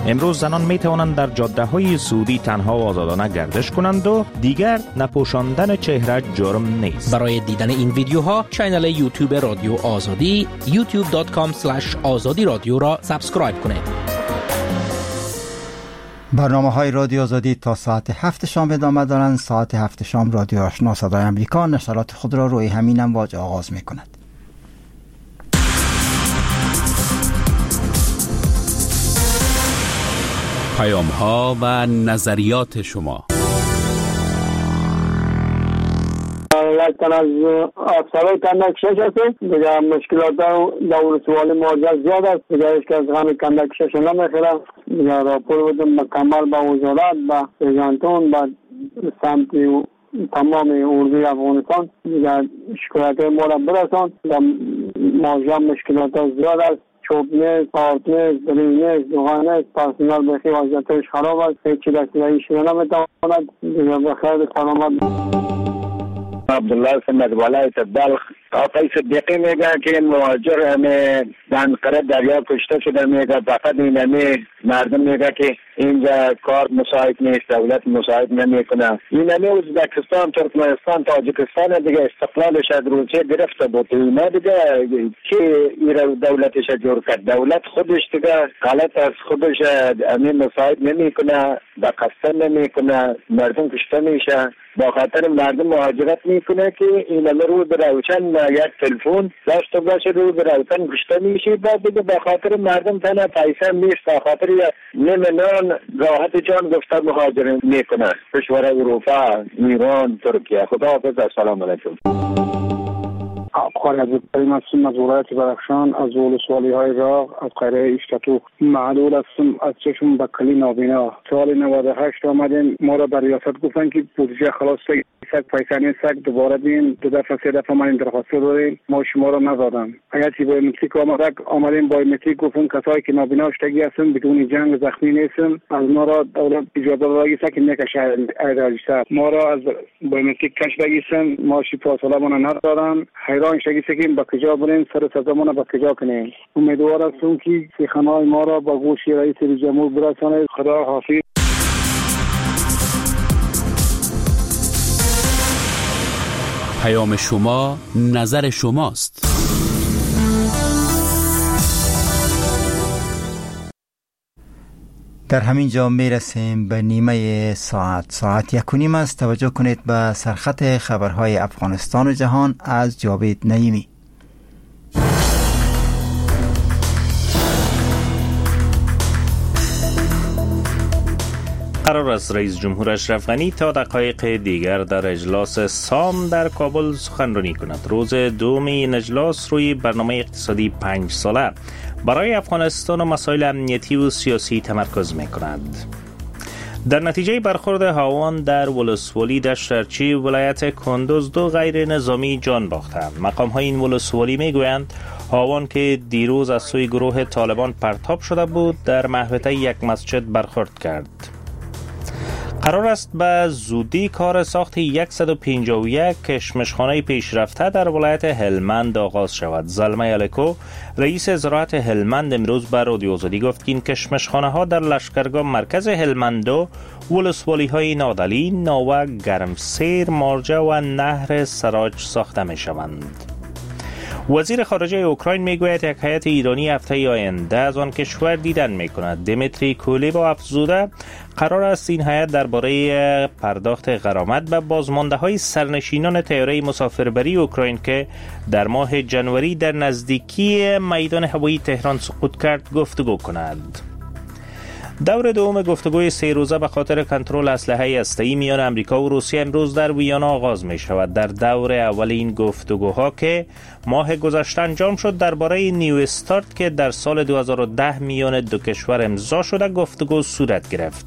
امروز زنان می توانند در جاده های سعودی تنها و آزادانه گردش کنند و دیگر نپوشاندن چهره جرم نیست. برای دیدن این ویدیوها channel یوتیوب رادیو آزادی youtube.com/azadiradio را subscribe کنید. برنامه های رادیو آزادی تا ساعت 7 شام ادامه دارند. ساعت 7 شام رادیو آشنا صدای امریکا نشرات خود را روی همین امواج آغاز می کند. پیام ها و نظریات شما. لکن از افسرهای کندک شش هستیم دیگه، مشکلات در ولسوالی مهاجر زیاد است دیگه، هیچ کس غم کندک شش نمیخوره دیگه. راپور بودم مکمل به وزارت، به رژانتون، به سمت تمام اردوی افغانستان دیگه، شکایت ما را برسان. در مهاجر مشکلات زیاد است، چوب نیست، آرد نیست، برنج نیست، روغن نیست، پرسنل بخی وضعیتش خراب است، هیچ دستگاهی شده نمیتواند دیگه. بخیر سلامت. عبدالله سمت ولایت بلخ. آقای صدیقی میگه که مهاجر همه دنقره دریا کشته شده، میگه فقط این همه مردم، میگه که اینجا کار مساعد نیست، دولت مساعد نمیکنه. این همه ازبکستان، ترکمنستان، تاجیکستان دیگه استقلالش از روسیه گرفته بود، اینا دیگه که ایران دولتش جور کرد، دولت خودش دیگه غلط از خودش همه مساعد نمیکنه، به قصد نمیکنه، مردم کشته میشه. با خاطر مردم مهاجرت میکنه که این همه رو به روشن یک تلفن داشته باشه، رو به روشن کشته میشه. بعد دیگه به خاطر مردم تنها پیسه نیست، به خاطر نیم نان راحت جان گفته مهاجرت میکنه کشور اروپا، ایران، ترکیه. خدا حافظ، السلام علیکم. قاری عبدالکریم هستم از ولایت بدخشان، از ولسوالی های راغ، از قریه ایشتاتو. معلول هستم، از چشم بکلی نابینا. سال 98 آمدیم، ما را به ریاست گفتن که بودجه خلاص سگ پیسه نیست، دوباره بیم. دو دفعه سه دفعه ما این درخواست داریم، ما شما را ندادم. اگر چی بایومتریک آمدیم بایومتریک گفتن کسایی که نابینا شدگی هستن بدون جنگ زخمی نیستن، از ما را دولت اجازه دادگی است که نکشه ایراجیسته. ما را از بایومتریک کش بگیسن، ما شی فاصله ما ندادن. حیران شدگی که با کجا بریم، سر صدا با کجا کنیم. امیدوار هستم که سخنهای ما را با گوش رئیس جمهور برسانه. خدا حافظ. پیام شما نظر شماست. در همین جا میرسیم به نیمه ساعت 1:30 است. توجه کنید به سرخط خبرهای افغانستان و جهان از جاوید نعیمی. قرار است رئیس جمهور اشرف غنی تا دقایق دیگر در اجلاس سام در کابل سخنرانی کند. روز دوم این اجلاس روی برنامه اقتصادی 5 ساله برای افغانستان و مسائل امنیتی و سیاسی تمرکز می‌کند. در نتیجه برخورد هاوان در ولسوالی دشت ارچی ولایت کندوز 2 غیر نظامی جان باختند. مقام های این ولسوالی میگویند هاوان که دیروز از سوی گروه طالبان پرتاب شده بود در محوطه یک مسجد برخورد کرد. قرار است به زودی کار ساخت 151 کشمشخانه پیشرفته در ولایت هلمند آغاز شود. زلمی الکو رئیس زراعت هلمند امروز به رادیو آزادی گفت که این کشمشخانه ها در لشکرگاه مرکز هلمند و ولسوالی های نادلی، ناوه، گرمسیر، مارجه و نهر سراج ساخته می شوند. وزیر خارجه اوکراین میگوید یک هیئت ایرانی هفته آینده از آن کشور دیدن میکند. دمیتری کولیبا افزوده قرار است این هیئت درباره پرداخت غرامت به بازمانده های سرنشینان طیاره مسافربری اوکراین که در ماه جنوری در نزدیکی میدان هوایی تهران سقوط کرد گفتگو کند. دور دوم گفتگوی 3 روزه به خاطر کنترل اسلحه هسته‌ای میان امریکا و روسیه امروز در ویانا آغاز می شود. در دور اول این گفتگوها که ماه گذشته انجام شد درباره نیو استارت که در سال 2010 میان دو کشور امضا شده گفتگو صورت گرفت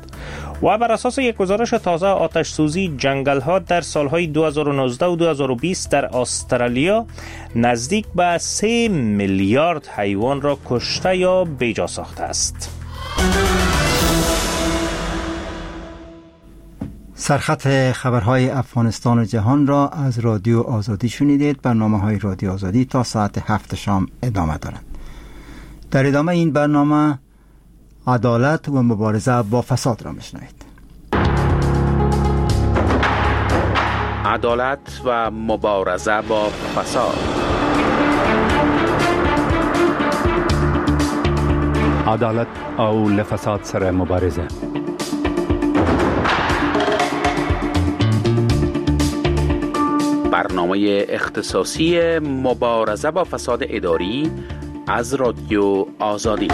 و بر اساس یک گزارش تازه آتش سوزی جنگل ها در سالهای 2019 و 2020 در استرالیا نزدیک به 3 میلیارد حیوان را کشته یا بیجا ساخته است. سرخط خبرهای افغانستان و جهان را از رادیو آزادی شنیدید. برنامه‌های رادیو آزادی تا ساعت 7 شام ادامه دارند. در ادامه این برنامه عدالت و مبارزه با فساد را میشنوید. عدالت و مبارزه با فساد. عدالت او له فساد سره مبارزه. برنامه اختصاصی مبارزه با فساد اداری از رادیو آزادی.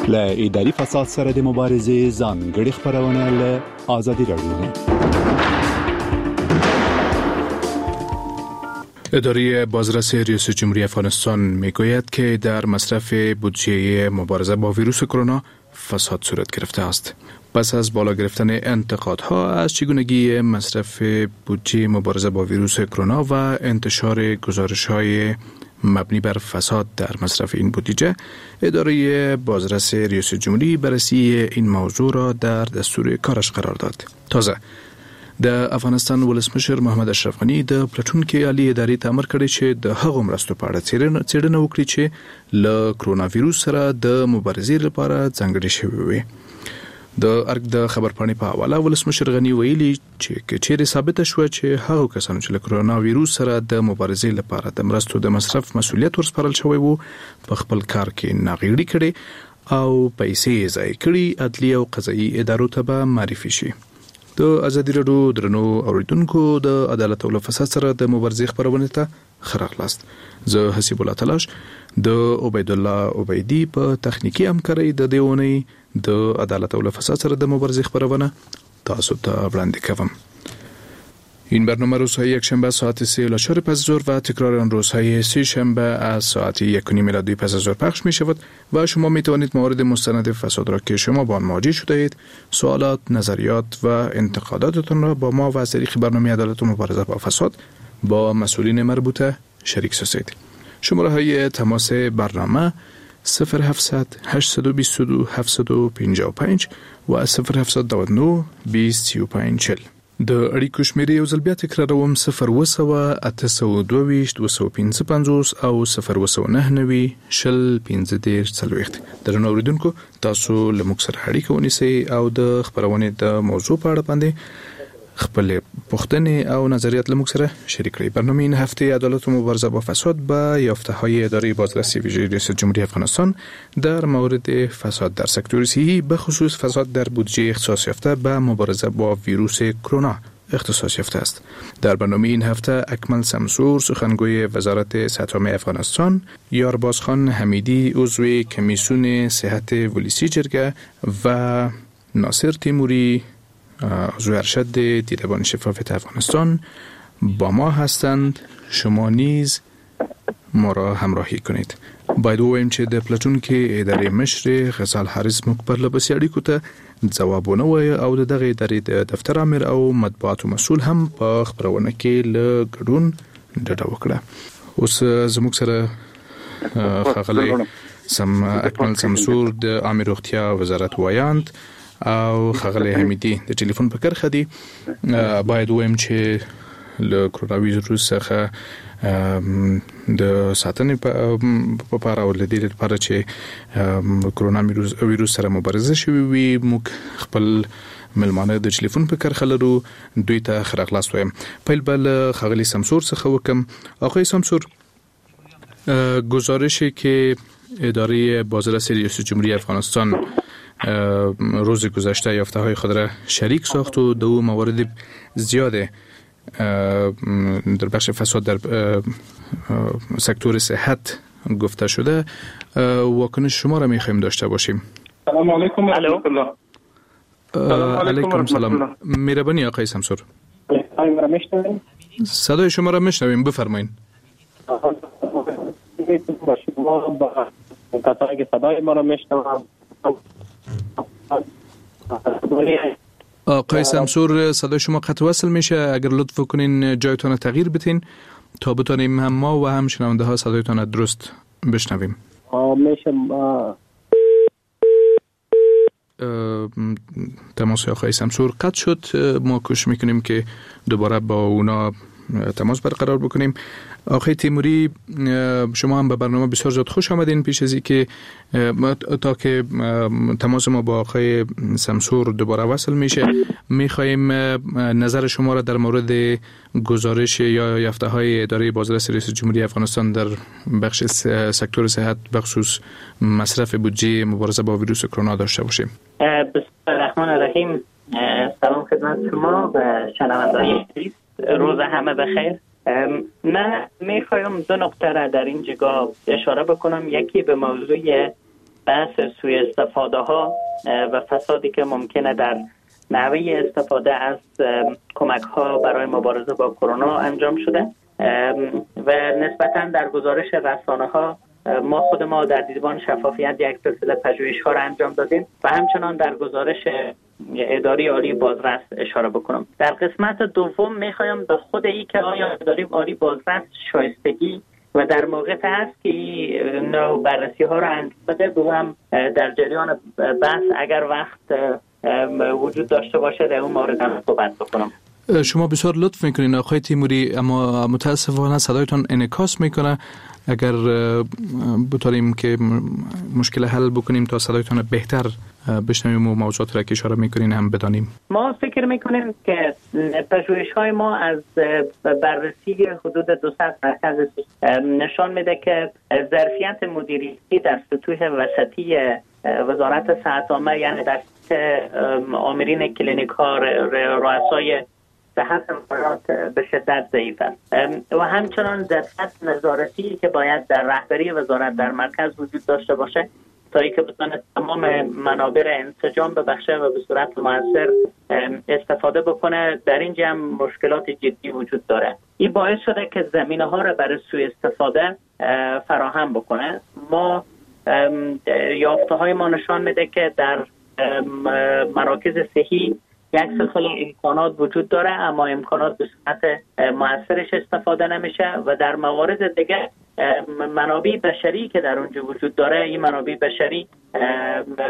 له اداري فساد سره د مبارزې ځانګړې خپرونه له ازادي رادیو. اداره بازرس ریاست جمهوری افغانستان میگوید که در مصرف بودجه مبارزه با ویروس کرونا فساد صورت گرفته است. پس از بالا گرفتن انتقادها از چگونگی مصرف بودجه مبارزه با ویروس کرونا و انتشار گزارش‌های مبنی بر فساد در مصرف این بودجه، اداره بازرس ریاست جمهوری بررسی این موضوع را در دستور کارش قرار داد. تازه د افغانستان ولسمشر محمد اشرف غني د پلټونکي عالي ادارې ته امر کړی چې د هغو مرستو په اړه څېړنه وکړي چې له کرونا ویروس سره د مبارزې لپاره ځانګړې شوې وي. د ارګ د خبرپاڼې په حواله ولسمشر غني ویلي چې که چیرې ثابته شوه چې هغو کسانو چې له کرونا ویروس سره د مبارزې لپاره د مرستو د مصرف مسولیت ورسپارل شوی وو په خپل کار کې ناغېړي کړې او پیسې یې ضایع کړي، عدلي او قضایي ادارو ته به معرفي شي. د ازادي راډیو درنو اوریدونکو، د عدالت او له فساد سره د مبارزې خپرونې ته ښه راغلاست. زه حسیب الله تلاش د عبیدالله عبیدي په تخنیکي همکارۍ د دې اونۍ د عدالت او له فساد سره د مبارزې خپرونه تاسو ته وړاندې کوم. این برنامه روزهای یکشنبه ساعت 3 الی 4 پس از ظهر و تکرار آن روزهای سه شنبه از ساعت 1:30 میلادی پس از ظهر پخش می شود و شما می توانید موارد مستند فساد را که شما با آن مواجه شده اید، سوالات، نظریات و انتقاداتتان را با ما و از طریق برنامه عدالت و مبارزه با فساد با مسئولین مربوطه شریک سازید. شماره های تماس برنامه 0700 822 755 و 0799 20 35 40. د اړیکو شمیرې یو ځل بیا تکراروم: 0700 822 255 او 0799 20 15 40. درنو اوریدونکو، تاسو له موږ سره اړیکه ونیسئ او د خپرونې د موضوع په اړه باندې خپل پوښتنې او نظریات له موږ سره شریک کړئ. برنامه این هفته عدالت و مبارزه با فساد با یافته‌های اداره بازرسی ویژه ریاست جمهوری افغانستان در مورد فساد در سکتور صحی، به خصوص فساد در بودجه اختصاص یافته به مبارزه با ویروس کرونا اختصاص یافته است. در برنامه این هفته اکمل سمسور، سخنگوی وزارت صحت عامه افغانستان، یارباز خان حمیدی، عضو کمیسیون صحت ولسی جرگه و ناصر تیموری، عضو ارشد دیدبان شفافیت افغانستان با ما هستند. شما نیز ما را همراهی کنید. باید ووایم چې د پلټونکي ادارې مشر غزال حارث موږ پرله پسې اړیکو ته ځواب ونه وایه او د دغې ادارې د دفتر امر او مطبوعاتو مسؤل هم په خپرونه کې له ګډون ډډه وکړه. اوس زموږ سره ښاغلی اکمل سمسور، د عامې روغتیا وزارت ویاند، او ښاغلی حمیدي د ټلیفون په کرښه دي. باید ووایم چې له کرونا ویروس څخه د ساتنې په پاره او له دې لپاره چې کرونا ویروس سره مبارزه شوې وي، موږ خپل مېلمانه د ټلیفون په کرښه لرو. دوی ته ښه راغلاست وایم. پیل به له ښاغلي سمسور څخه وکم. آقای سمسور، گزارشی که اداره بازرس ریاست جمهوری افغانستان روز گذشته یافته های خود را شریک ساخت و دو موارد زیاد در بخش فساد در سکتور صحت گفته شده، واکنش شما را میخوایم داشته باشیم. سلام علیکم و رحمت الله. علیکم سلام. مهربانی آقای سمسور. صدای شما را میشنویم، بفرمایید. کسایی که صدای ما را میشنوند. آقای سمسور، صدای شما قطع وصل میشه. اگر لطف کنین جایتان تغییر بتین تا بتانیم هم ما و هم شنونده ها صدایتان درست بشنویم. میشه. تماس آقای سمسور قطع شد. ما کوشش میکنیم که دوباره با اونا تماس برقرار بکنیم. آقای تیموری، شما هم به برنامه بسیار زیاد خوش آمدین. پیش از اینکه تا که تماس ما با آقای سمسور دوباره وصل میشه، میخواهیم نظر شما را در مورد گزارش یا یافته های اداره بازرس ریاست جمهوری افغانستان در بخش سکتور صحت، بخصوص مصرف بودجه مبارزه با ویروس کرونا داشته باشیم. بسم الله الرحمن الرحیم. سلام خدمت شما و شنونده‌های عزیز. روز همه بخیر. من میخوایم دو نقطه را در این جگاه اشاره بکنم. یکی به موضوع بحث سوء استفاده ها و فسادی که ممکنه در نحوه استفاده از کمک ها برای مبارزه با کرونا انجام شده و نسبتاً در گزارش رسانه ها ما خود ما در دیدبان شفافیت یک سلسله پژوهش ها را انجام دادیم و همچنان در گزارش اداره عالی بازرس اشاره بکنم. در قسمت دوم میخوایم به خود ای که آیا اداره عالی بازرس شایستگی و در موقع هست که این نوع بررسی ها را انجام بده، به هم در جریان بحث اگر وقت وجود داشته باشه در اون مورد هم صحبت بکنم. شما بسیار لطف میکنین آقای تیموری، اما متاسفانه صدایتان انعکاس میکنه. اگر بتونیم که مشکل حل بکنیم تا صدایتان بهتر بشنویم و موضوعات را که اشاره میکنین هم بدانیم. ما فکر میکنیم که پژوهش های ما از بررسی حدود 200 مرکز نشان میده که ظرفیت مدیریتی در سطوح وسطی وزارت صحت عامه، یعنی در آمرین کلینیک ها، رؤسای صحت امارات به شدت ضعیف است و همچنان ظرفیت نظارتی که باید در رهبری وزارت در مرکز وجود داشته باشه تا اینکه بتونه تمام منابع را انسجام ببخشه و به صورت موثر استفاده بکنه، در اینجا هم مشکلات جدی وجود داره. این باعث شده که زمینه ها را برای سوء استفاده فراهم بکنه. ما یافته های ما نشان میده که در مراکز صحی یک سلسله امکانات وجود داره، اما امکانات به صورت موثرش استفاده نمیشه و در موارد دیگه منابع بشری که در اونجا وجود داره، این منابع بشری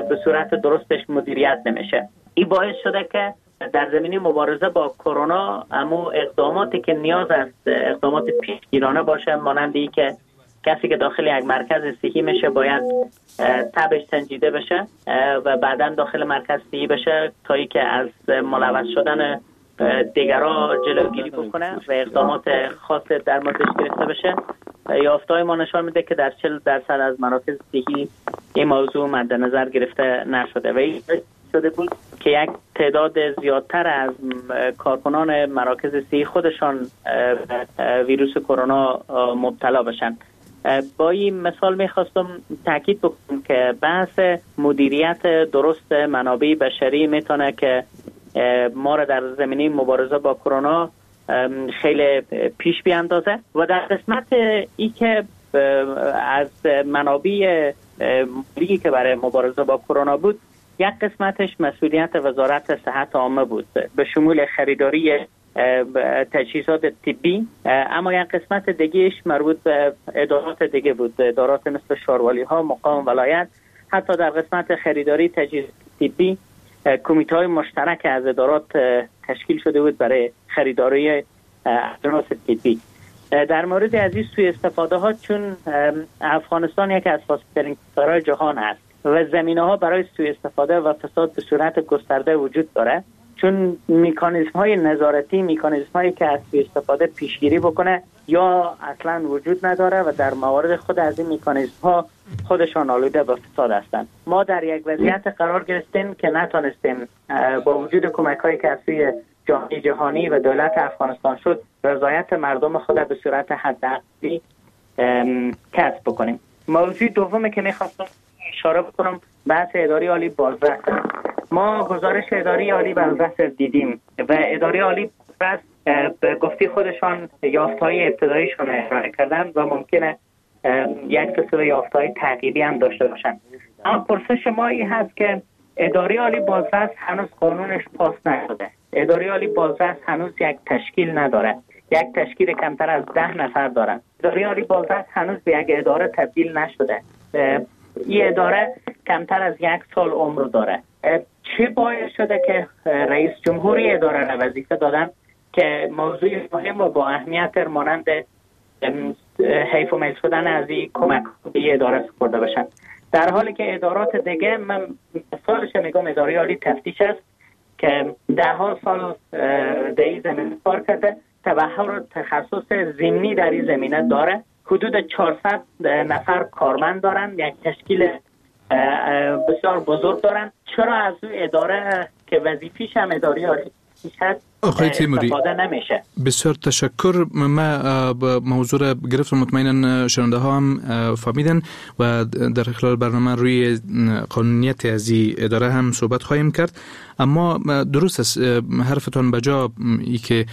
به صورت درستش مدیریت نمیشه. این باعث شده که در زمینه مبارزه با کرونا اما اقداماتی که نیاز است اقدامات پیشگیرانه باشه، مانند ای که کسی که داخل یک مرکز صحی میشه باید تبش سنجیده بشه و بعدا داخل مرکز صحی بشه تا ای که از ملوث شدن دیگرا جلوگیری بکنه و اقدامات خاص در موردش گرفته بشه. یافته‌های ما نشان میده که در 40% از مراکز صحی این موضوع مد نظر گرفته نشده و این شده بود که یک تعداد زیادتر از کارکنان مراکز صحی خودشان ویروس کرونا مبتلا بشن. با این مثال میخواستم تاکید بکنم که بحث مدیریت درست منابع بشری میتونه که ما را در زمینه مبارزه با کرونا خیلی پیش بیاندازه و در قسمت ای که از منابع مالی که برای مبارزه با کرونا بود، یک قسمتش مسئولیت وزارت صحت عامه بود به شمول خریداری تجهیزات طبی، اما یک قسمت دیگهش مربوط به ادارات دیگه بود، ادارات مثل شاروالی ها، مقام ولایت. حتی در قسمت خریداری تجهیزات طبی کمیته های مشترک از ادارات تشکیل شده بود برای خریداری اجناس طبی. در مورد از این سوء استفاده ها، چون افغانستان یکی از فاسدترین کشورهای جهان است و زمینه ها برای سوء استفاده و فساد به صورت گسترده وجود داره، چون مکانیزم های نظارتی، مکانیزم هایی که از سوء استفاده پیشگیری بکنه یا اصلا وجود نداره و در موارد خود از این مکانیزم ها خودشان آلوده به فساد هستند. ما در یک وضعیت قرار گرفتیم که نتونستیم با وجود کمک هایی که از سوی جامعه جهانی و دولت افغانستان شد، رضایت مردم خود به صورت حداقلی کسب بکنیم. موضوع دومی که میخواستم اشاره بکنم بحث اداره عالی بازرس. ما گزارش اداره عالی بازرس دیدیم و اداره عالی بازرس به گفته خودشان یافته‌های ابتداییشون ارائه کردن و ممکنه یک سلسله یافته‌های تعقیبی هم داشته باشن. اما پرسش ما این هست که اداره عالی بازرس هنوز قانونش پاس نشده. اداره عالی بازرس هنوز یک تشکیل نداره، یک تشکیل کمتر از 10 نفر دارن. اداره عالی بازرس هنوز به یک اداره تبدیل نشده. این اداره کمتر از 1 سال عمر داره. چه باعث شده که رئیس جمهوری اداره را وظیفه دادن که موضوع مهم و با اهمیت مانند حیف و میل شدن از این کمک به اداره سپرده باشن، در حالی که ادارات دیگه، من مثالش میگم اداره عالی تفتیش است که 10 سال در این زمینه کار کرده، تبحر و تخصص ضمنی در این زمینه داره، حدود 400 نفر کارمند دارن، یک تشکیل بسیار بزرگ دارن. چرا از اون اداره که وظیفیش هم اداره عالی آقای تیموری نمیشه؟ بسیار تشکر. ما موضوع را گرفتم، مطمئنا شنونده ها هم فهمیدن و در خلال برنامه روی قانونیت از این اداره هم صحبت خواهیم کرد. اما درست است حرفتان بجا ای که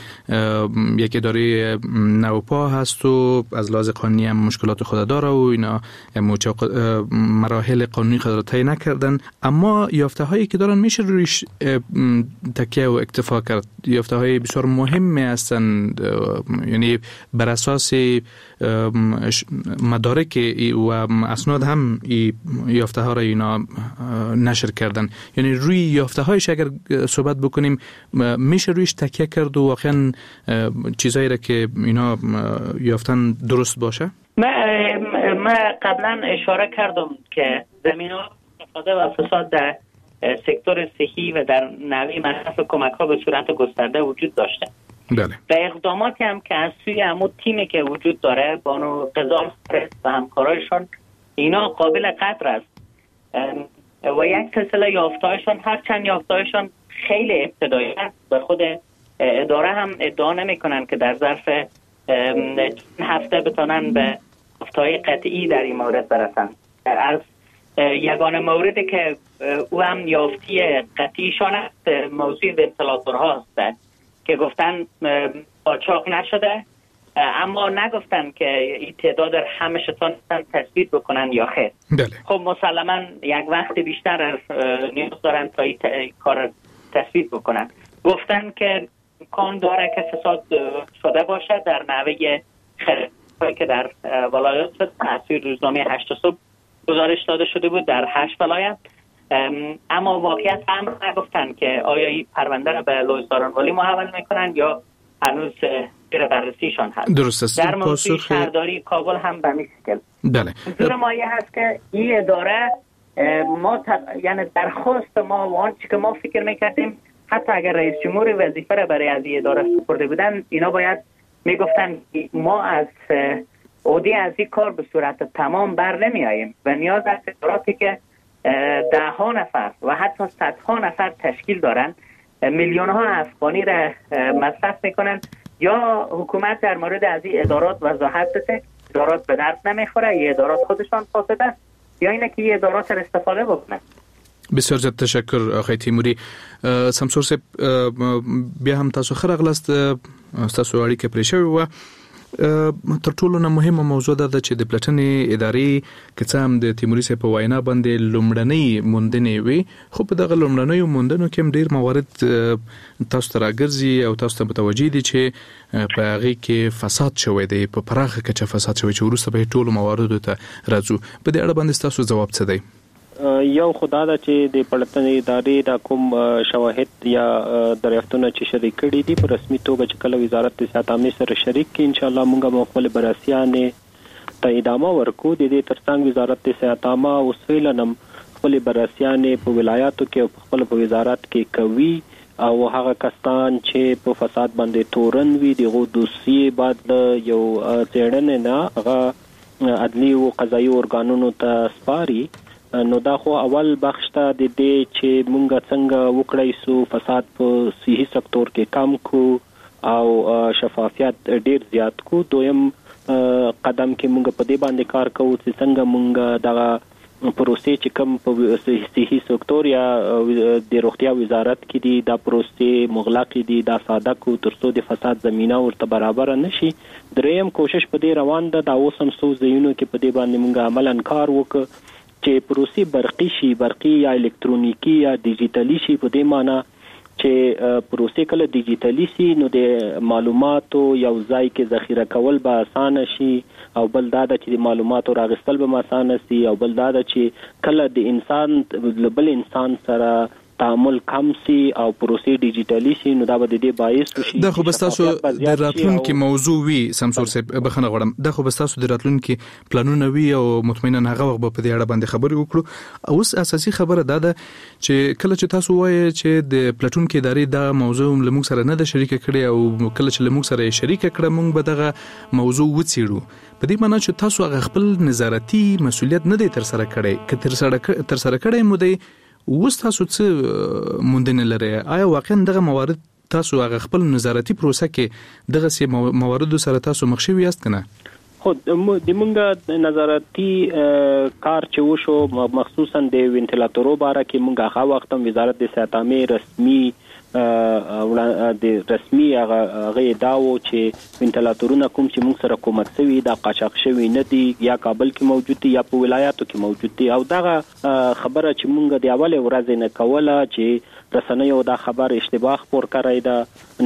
یک اداره نوپا هست و از لحاظ قانونی هم مشکلات خود داره و اینا مراحل قانونی خود را طی نکردن، اما یافته هایی که دارن میشه رویش تکیه و اکتفا کرد. یافته های بسیار مهم هستند، یعنی بر اساس مدارک و اسناد هم یافته ها را اینا نشر کردن. یعنی روی یافته هایش اگر صحبت بکنیم میشه رویش تکیه کرد و واقعا چیزایی را که اینا یافتن درست باشه. من قبلا اشاره کردم که زمینه استفاده و فساد در سکتور صحی و در نوع مصرف کمک ها به صورت گسترده وجود داشته. بله. و اقداماتی هم که از سوی عمود تیمی که وجود داره، بانو قزال و همکارایشان، اینا قابل قدر است و یک سلسله یافتهایشان، هرچند یافتهایشان خیلی ابتدایی است و خود اداره هم ادعا نمیکنن که در ظرف هفته بتونن به یافته‌های قطعی در این مورد برسن. از یگانه موردی که او هم یافتی قطعیشان است موضوع ونتلاتورها است که گفتن قاچاق نشده، اما نگفتن که این تعداد همش تثبیت بکنن یا خیر. بله. خب مسلما یک وقت بیشتر نیاز دارن تا این کار تثبیت بکنن. گفتن که امکان داره که فساد شده باشه در نحوه خریدهایی که در ولایات شد. تاثیر روزنامه 8 صبح گزارش داده شده بود در 8 ولایت، اما واقعیت هم نگفتن که آیا این پرونده را به لوی سارنوالی محول میکنن یا هنوز زیر بررسیشان هست. درست است. در موضوع شهرداری کابل هم به همین شکل. بله. منظور ما این هست که این اداره ما یعنی درخواست ما و آنچه که ما فکر میکردیم، حتی اگر رئیس جمهور وظیفه را برای از این اداره سپرده بودن، اینا باید میگفتن ما از عهده از این کار به صورت تمام بر نمیاییم و نیاز است اداراتی که ده ها نفر و حتی صدها نفر تشکیل دارن، میلیون ها افغانی را مصرف میکنن، یا حکومت در مورد از این ادارات وضاحت بده، ادارات به درد نمیخوره، این ادارات خودشان فاسد است، یا اینه که این ادارات را استفاده بکنن. بسیار زیات تشکر آقای تیموری. سمسور صاحب، بیا هم تاسو ښه راغلاست، ستاسو اړیکه پرې شوې وه. تر ټولو نه مهمه موضوع دا ده چې د پلټنې ادارې که څه هم د تیموري صاحب په وینا باندې لومړنۍ موندنې وي، خو په دغه لومړنیو موندنو کې هم ډېر موارد تاسو ته راګرځي او تاسو ته متوجه دي چې په هغې کې فساد شوی دی، په پراخه کچه فساد شوی چې وروسته به یې ټولو مواردو ته راځو. په دې اړه باندې ستاسو ځواب څه دی؟ یو خو دا ده چې د پلټنې ادارې دا کوم شواهد یا دریافتونه چې شریک کړي دي په رسمي توګه چې کله وزارت د صحت عامې سره شریک کړي، ان شاء الله موږ به خپل بررسیانې ته ادامه ورکو. د دې ترڅنګ وزارت د صحت عامه اوس فعلاً هم خپلې بررسیانې په ولایاتو کې او په خپل په وزارت کې کوي، او هغه کسان چې په فساد باندې تورن وي دغه دوسیې بعد له یو څېړنې نه هغه عدلي او قضایي ارګانونو ته سپاري. نو دا خو اول بخش ته د دې چې مونږ څنګه وکړای سو فساد په صحي سکتور کې کم کو او شفافیت ډیر زیات کو. دویم قدم کې مونږ په دې باندې کار کوو چې څنګه مونږ دغه پروسې چې کوم په صحي سکتور یا د روغتیا وزارت کې دي دا پروسې مغلقې دي، دا ساده کو ترڅو د فساد زمینه ورته برابره نشي. دریم کوشش په دې روان ده، دا اوس هم څو ځایونو کې په دې باندې مونږ عملاً کار وکړو چې پروسې برقي شي، برقي یا الکترونیکی یا ډیجیټلي شي. په دې معنی چې پروسې کله ډیجیټلي شي نو د معلوماتو یو ځای کې ذخیره کول به اسانه شي، او بل دا ده چې د معلوماتو راغستل به اسانه شي، او بل دا ده چې کله د انسان له بل انسان سره تعامل کم سي او پروسې ډیجیټلي شي نو دا به د دې باعث شي. دا خو به تاسو د راتلونکي موضوع وي سمسور صاحب، بخښنه غواړم، دا خو به تاسو د راتلونکي پلانونه وي او مطمئنا هغه وخت به په دې اړه باندې خبرې وکړو. اوس اساسي خبره دا ده چې کله چې تاسو وایئ چې د پلټونکي ادارې دا موضوع له موږ سره نه ده شریکه کړې او کله چې له موږ سره یې شریکه کړه موږ به دغه موضوع وڅېړو، په دې معنی چې تاسو هغه خپل نظارتي مسولیت نه دی ترسره کړی. که ترسره کړی مو دی، اوس تاسو څه موندنې لرئ؟ آیا واقعا دغه موارد تاسو هغه خپل نظارتي پروسه کې دغسې مواردو سره تاسو مخ شوي یاست که نه؟ خو د مونږ نظارتي کار چې وشو مخصوصا د وینټیلاتورو باره کې مونږ هغه وخت هم وزارت د صحت عامې رسمي د رسمي هغه دا و چې وینټیلاتورونه کوم چې مونږ سره کومک شوي دا قاچاق شوي نه دي، یا کابل کې موجود دي یا په ولایاتو کې موجود دي. او دغه خبره چې مونږ د اولې ورځې نه کوله چې رسنیو دا خبر اشتباه خپور کړی ده،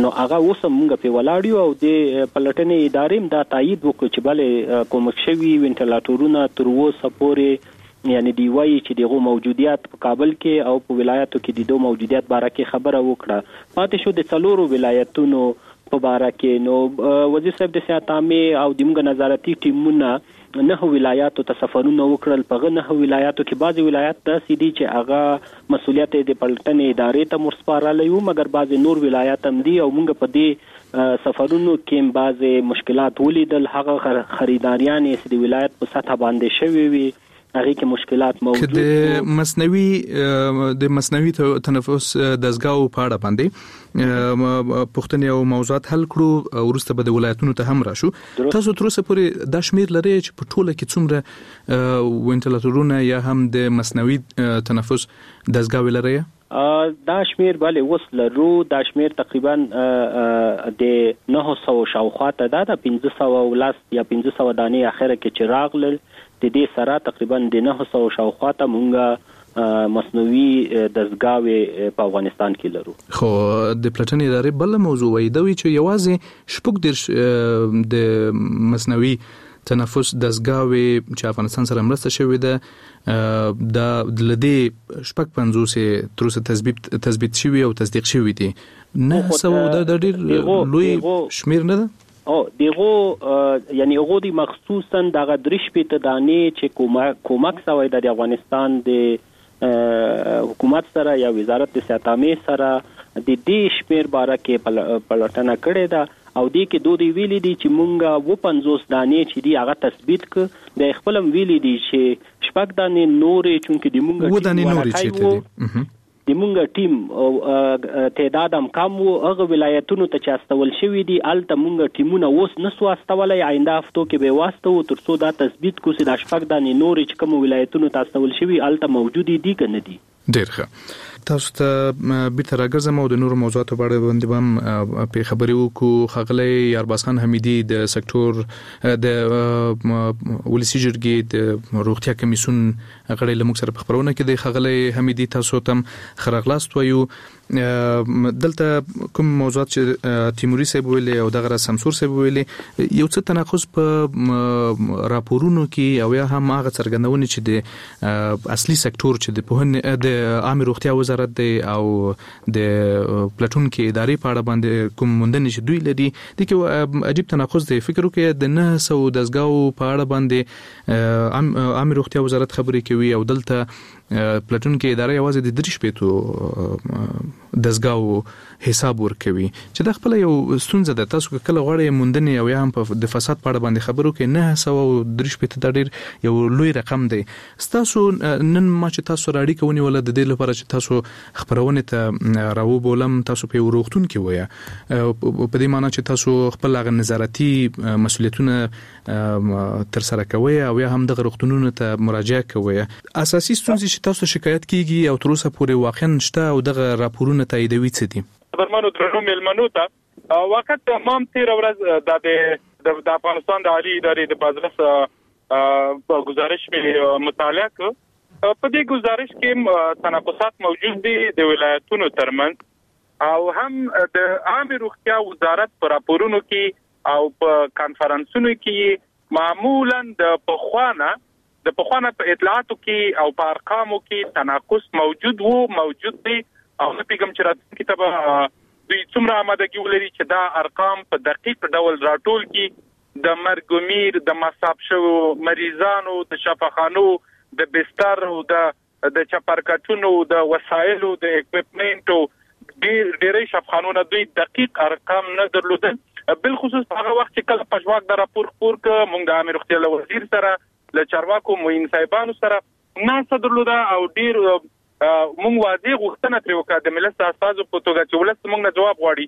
نو هغه اوس هم مونږ پرې ولاړ یو او د پلټنې ادارې هم دا تایید وکړو چې بلې کومک شوي وینټیلاتورونه تر اوسه پورې یعنی دی وایي چې دغه موجودیت په کابل کې او په ولایاتو کې د دوه موجودیت باره کې خبره وکړه. پاتې شو د څلورو ولایتونو په باره کې، نو وزیر صاحب د صحت عامې او د موږ نظارتي ټیمونه 9 ولایاتو ته سفرونه وکړل. په هغه 9 ولایاتو کې بعضې ولایات داسې دي چې هغه مسولیت یې د پلټنې ادارې ته ورسپارلی و، مګر بعضې نور ولایات هم دي او موږ په دې سفرونو کې بعضې مشکلات ولیدل. هغه خریداریانې چې د ولایت په سطح باندې شوې وي هغې کې مشکلات موجود که د مصنوعي د مصنوعي تنفس دستګاو په اړه باندې پوښتنې او موضوعات حل کړو، وروسته به د ولایتونو ته هم راشو. تاسو تر اوسه پورې دا شمیر لرئ چې په ټوله کې څومره وینټیلیټرونه یا هم د مصنوعي تنفس دستګاوې لرئ؟ دا شمیر بله اوس لرو. دا شمیر تقریبا د 900 شاوخوا ته ده. د 510 یا 500 دانې اخره کې چې راغلل، د دې سره تقریبا د 900 شاوخوا ته مونږ مصنوعي دستګاوې په افغانستان کې لرو. خو د پلټنې ادارې بله موضوع وایي، دا وایي چې یوازې 36 د مصنوعي تنفس دستګاوې چې افغانستان سره مرسته شوې ده، دا له دې 56 تر اوسه تثبیت شوي او تصدیق شوي دي. 900 دا ډېر لوی شمېر نه ده؟ او دغه یعنی هغه دی مخصوصا دغه 63 دانې چې کومک سوی د افغانستان د حکومت سره یا وزارت د صحت عامې سره، د دې شمیر باره کې پلټنه کړې ده او دې کې دوی ویلي دي چې مونږه 57 دانې چې دی هغه تثبیت ک د خپلم ویلي دي چې 6 دانې نورې، چونکه د مونږه و دانې نورې چیرته دي، د مونږ ټیم تعداد هم کم وو، هغه ولایتونو ته چې استول شوي دي هلته مونږ ټیمونه اوس نه سو استولی، آینده هفتو کې به یې واستوو تر څو دا تثبیت کړو چې دا 6 دانې نورې چې کومو ولایتونو ته استول شوي هلته موجودې دي که نه دي. ډېر ښه، تاسو ته بیرته راګرځم او د نورو موضوعاتو په اړه باندې به هم پرې خبرې وکړو. ښاغلی یارباز خان حمیدي د سکتور د ولسي جرګې د روغتیا کمیسیون غړی له موږ سره په خپرونه کې دی. ښاغلی حمیدي، تاسو ته هم ښه راغلاست وایو. دلته کوم موضوعات چې تیموري صاحب ویلي او دغه راز سمسور صاحب ویلي، یو څه تناقض په راپورونو کې او یا هم هغه څرګندونې چې د اصلي سکتور چې د پوهنې د عامې روغتیا وزارت دی او د پلټونکې ادارې په اړه باندې کوم موندنې چې دوی لري، دې کې عجیب تناقض دی. فکر وکړئ د 900 دستګاو په اړه باندې عامې روغتیا وزارت خبرې کوي او دلته پلټونکې اداره یوازې د 63 دستګاو حساب ورکوي چې دا خپله یو ستونزه ده. تاسو که کله غواړئ موندنې او یا هم د فساد په اړه باندې خبرو کې 963 دا ډېر یو لوی رقم دی. ستاسو نن ما چې تاسو سره اړیکه ونیوله د دې لپاره چې تاسو خپرونې ته راوبولم، تاسو په یو روغتون کې ویه، په دې معنی چې تاسو خپل هغه نظارتي مسؤلیتونه تر سره کوئ او یا هم دغه روغتونونو ته مراجعه کوئ. اساسي ستونزې چې تاسو شکایت کیږي او تر اوسه پورې واقعا شته او دغه راپورونه تاییدوي څه دي؟ قدرمنو درنو میلمنو ته، واقعا ما هم تېره ورځ د افغانستان د عالي ادارې د بازرس ګزارش مې مطالعه کړ. په دې ګزارش کې تناقضات موجود دي د ولایتونو ترمنځ او هم د عامې روغتیا وزارت په راپورونو کې او په کانفرنسونو کې معمولا د پخوانه په اطلاعاتو کې او په ارقامو کې تناقض موجود وو، موجود دی او نه پوهېږم چې راتلونکي ته به دوی څومره آمادګي ولري چې دا ارقام په دقیق ډول راټول کړي. د مرګ و میر، د مصاب شوو مریضانو، د شفاخانو، د بستر او د چپرکټونو، د وسایلو، د اکویپمنټو ډېری شفاخانو نه دوی دقیق ارقام نه درلودل. بالخصوص هغه وخت چې کله پژواک دا راپور خپور کړ، موږ د عامې روغتیا له وزیر سره، له چارواکو معین صاحبانو سره ناسته درلوده او ډېر موږ واضح غوښتنه ترې وکړه د ملت د استازو په توګه چې ولس موږ نه جواب غواړي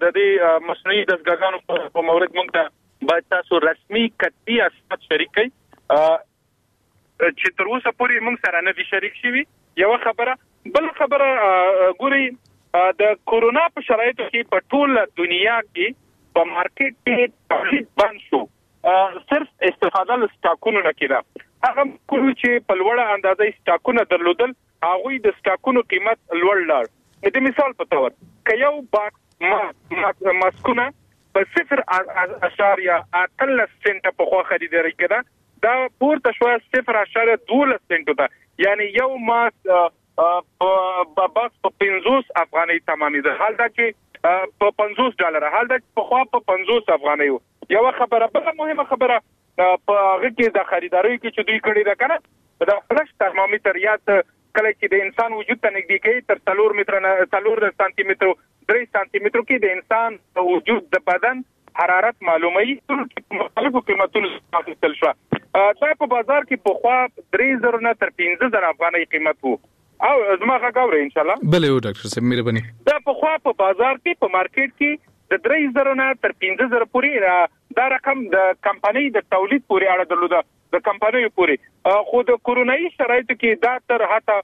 د دې مصنوعي دستګاګانو په مورد موږ ته باید تاسو رسمي کتبي اسناد شریک کړئ چې تر اوسه پورې موږ سره نه دي شریک شوي. یوه خبره. بل خبره، ګورئ د کورونا په شرایطو کې په ټوله دنیا کې په مارکیټ کې تولید بند شو، صرف استفاده له سټاکونو نه کېده. هغه ملکونو چې په لوړه اندازه یې سټاکونه درلودل، هغوی د سټاکونو قیمت لوړ لاړ. د مثال په تور که یو باکس ماسکونه په 0.18 سنټه پخوا خریداري کېده، دا پورته شوه 0.12 سنټو ته، یعنی یو ماسک باکس په 50 افغانۍ تمامېده، حال دا چې په $50، حال دا چې پخوا په 50 افغانۍ و. یوه خبره. بله مهمه خبره په هغه کې د خریداریو کې چې دوی کړې ده که نه، دا فلش ترمامیتر یا کله چې د انسان وجود ته نږدې کوي تر 4 سانتي مترو 3 سانتي مترو کې د انسان وجود د بدن حرارت معلوموي، ټول کې په مختلفو قیمتونو اخیستل شوه. دا په بازار کې پخوا 3000 نه تر 15000 افغانۍ قیمت وو. او زما غږ اورئ ان شاء الله؟ بله او ډاکټر صاحب مهرباني. دا پخوا په بازار کې په مارکیټ کې د 3000 نه تر 15000 پورې دا رقم د کمپنۍ د تولید پورې اړه درلوده، د کمپنیو پورې. خو د کورونایي شرایطو کې دا تر حتی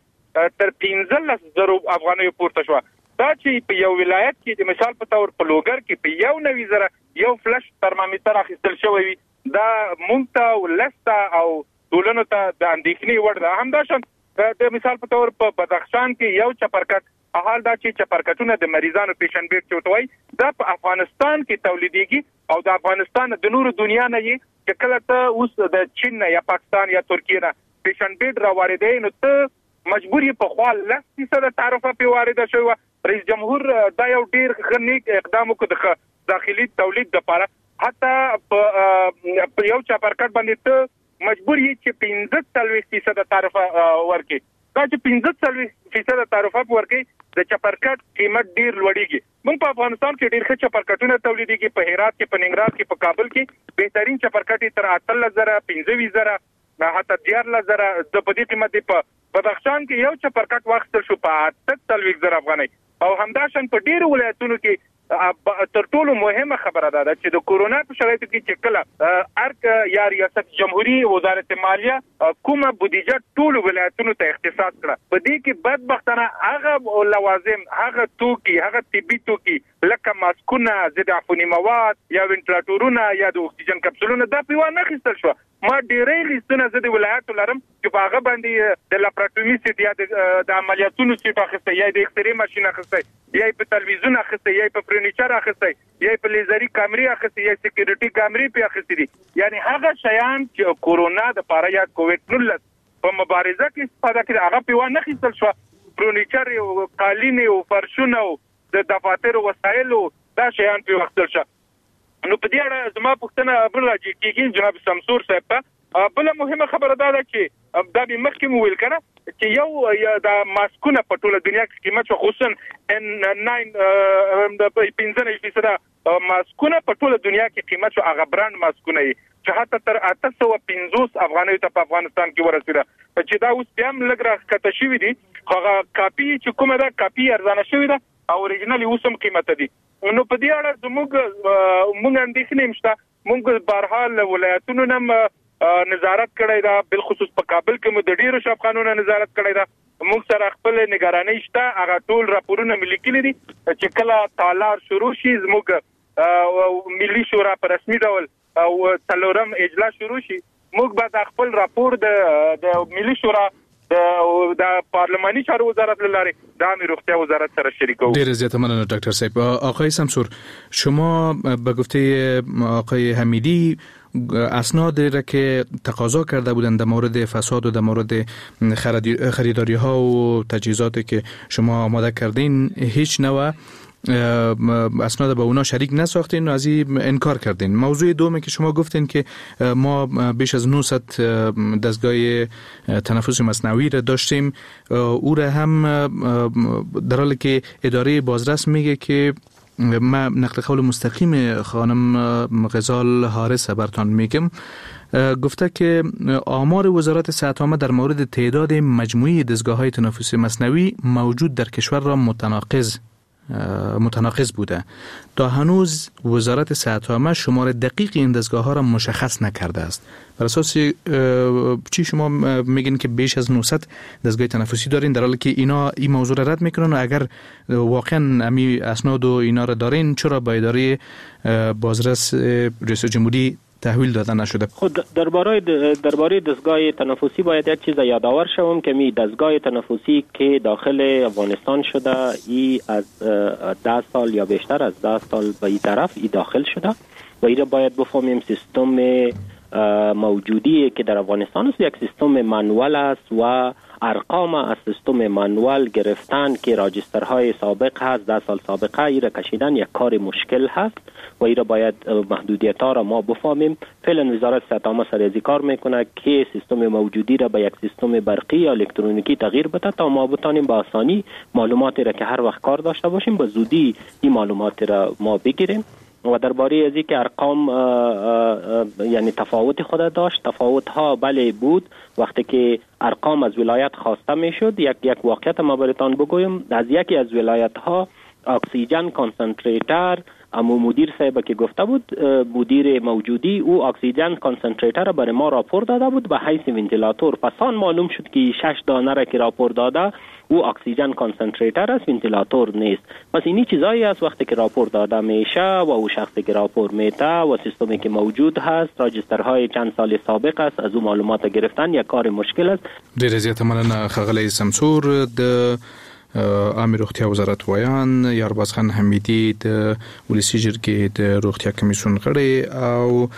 تر 15000 افغانیو پورته شوه. دا چې په یو ولایت کې د مثال په تور په لوګر کې په 91,000 یو فلش ترمامیتر اخیستل شوی وي، دا مونږ ته ولس ته او ټولنو ته د اندېښنې وړ ده. همداشان د مثال په تور په بدخشان کې یو چپرکټ، حال دا چې چپرکټونه د مریضانو پیشن بیډ چې ورته وایي، دا په افغانستان کې تولیدېږي او د افغانستان د نورو دنیا نه یې چې کله ته اوس د چین نه یا پاکستان یا ترکیې نه پیشن بیډ را واردوې، نو ته مجبور یې پخوا 10% تعرفه پرې وارده شوې وه. رئیس جمهور دا یو ډېر ښه نیک اقدام وکړ د داخلي تولید دپاره. حتی په یو چپرکټ باندې ته مجبور یې چې 45% تعرفه ورکړې. دا چې 45% تعرفه ورکړې، د چپرکټ قیمت ډېر لوړېږي. موږ په افغانستان کې ډېر ښه چپرکټونه تولیدېږي، په هرات کې، په ننګرهار کې، په کابل کې بهترین چپرکټ یې تر 18,000، 25,000، حتی 13,000 د په دې قیمت دی. په بدخشان کې یو چپرکټ واخیستل شو په 48,000 افغانۍ. او همداشان په ډېرو ولایتونو کې تر ټولو مهمه خبره دا ده چې د کورونا په شرایطو کې چې کله ارګ یا ریاست جمهوري وزارت مالیه کومه بودیجه ټولو ولایتونو ته اختصاص کړه، په دې کې بدبختانه هغه لوازم، هغه توکي، هغه طبي توکي لکه ماسکونه، ضد عفوني مواد یا وینټلاټورونه یا د اکسیجن کپسولونه، دا پرې وانه خیستل شوه. ما ډېری لیستونه زه د ولایاتو لرم چې په هغه باندې د لاپراتومي سیټ یا د عملیاتونو سیټ اخیستی، یا د اکسرې ماشین اخیستی، یا په تلویزیون اخیستی، یا په فرنیچر اخیستی، یا په لیزري کامرې اخیستی، یا سکیورټي کامرې پې اخیستې دي. یعنی هغه شیان چې کورونا د پاره یا کووید 19 په مبارزه کې استفاده کړي، هغه پې وانه خیستل شوه. فرنیچر او قالینې او فرشونه او د دفاترو وسایلو دا شیان پې واخیستل شوه. نو په دې اړه زما پوښتنه بل راجع کېږي جناب سمسور صاحب ته. بله مهمه خبره دا ده چې دا مې مخکې مو ویل که نه چې یو دا ماسکونه په ټوله دنیا کې قیمت شو، خصوصا ان 9 95% ماسکونه په ټوله دنیا کې قیمت شو، هغه برانډ ماسکونه یې چې حتی تر 850 افغانیو ته په افغانستان کې ورسېده، چې دا اوس بیا هم لږ راښکته شوي دي، خو هغه کاپي چې کومه ده کاپي ارزانه شوې ده او اوریجنل یې اوس هم قیمته دي. نو په دې اړه زموږ موږ اندېښنې هم شته. موږ بهرحال له ولایتونو نه نظارت کړی ده، بالخصوص په کابل کې مو د ډېرو شفخانو نه نظارت کړی ده. موږ سره خپل نګرانۍ شته، هغه ټول راپورونه مې لیکلي دي چې کله تالار شروع شي، زموږ ملي شورا په رسمي ډول او څلورم اجلاس شروع شي، موږ به د خپل راپور د ملي شورا د پارلماني چارو وزارت له لارې د عامې روغتیا وزارت سره شریکوو. ډېره زیاته مننه ډاکټر صاحب. آقای سمسور، شما به گفته آقای حمیدی اسناد را که تقاضا کرده بودند در مورد فساد و در مورد خریداری ها و تجهیزاتی که شما آماده کردین، هیچ نوع اسناد با اونا شریک نساختین و از این انکار کردین. موضوع دومی که شما گفتین که ما بیش از 900 دستگاه تنفس مصنوعی را داشتیم، او را هم در حالی که اداره بازرس میگه که ما نقل قول مستقیم خانم غزال حارث برتان میگم، گفته که آمار وزارت صحت عامه در مورد تعداد مجموعی دستگاه‌های تنفس مصنوعی موجود در کشور را متناقض بوده. تا هنوز وزارت صحت عامه شمار دقیق این دستگاه ها را مشخص نکرده است. بر اساس چی شما میگین که بیش از 900 دستگاه تنفسی دارین، در حالی که اینا این موضوع را رد میکنن و اگر واقعا امی اسناد و اینا را دارین، چرا با اداره بازرس ریاست جمهوری تحویل داده نشده؟ خود درباره دستگاه تنفسی باید یک چیز یادآور شوم که می دستگاه تنفسی که داخل افغانستان شده ای از 10 سال یا بیشتر از 10 سال به این طرف ای داخل شده و ای را باید بفهمیم سیستم موجودی که در افغانستان است یک سیستم منوال است و ارقام از سیستم منوال گرفتن که راجسترهای سابق هست، 10 سال سابقه، ای را کشیدن یک کار مشکل هست و ای را باید محدودیت ها را ما بفهمیم. فعلا وزارت صحت عامه سر از کار میکنه که سیستم موجودی را به یک سیستم برقی یا الکترونیکی تغییر بده تا ما بتانیم با آسانی معلوماتی را که هر وقت کار داشته باشیم به زودی این معلومات را ما بگیریم. و درباره از که ارقام یعنی تفاوت خود داشت، تفاوت ها بله بود. وقتی که ارقام از ولایت خواسته میشد، یک واقعیت ما براتان بگویم، از یکی از ولایت ها oxygen concentrator، امو مدیر صاحب که گفته بود، مدیر موجودی، او oxygen concentrator برای ما راپور داده بود به حیث ونتیلاتور. پس آن معلوم شد که 6 دانه را که راپور داده او oxygen concentrator است، ونتیلاتور نیست. پس اینی چیزایی است وقتی که راپور داده میشه و او شخصی که راپور میته و سیستمی که موجود هست، راجسترهای چند سال سابق است، از او معلومات گرفتن یک کار مشکل است. ډیره زیاته مننه ښاغلی سمسور. د عامې روغتیا وزارت ویاند یارباز خان حمیدي، د ولسي جرګې د روغتیا کمیسیون غړی او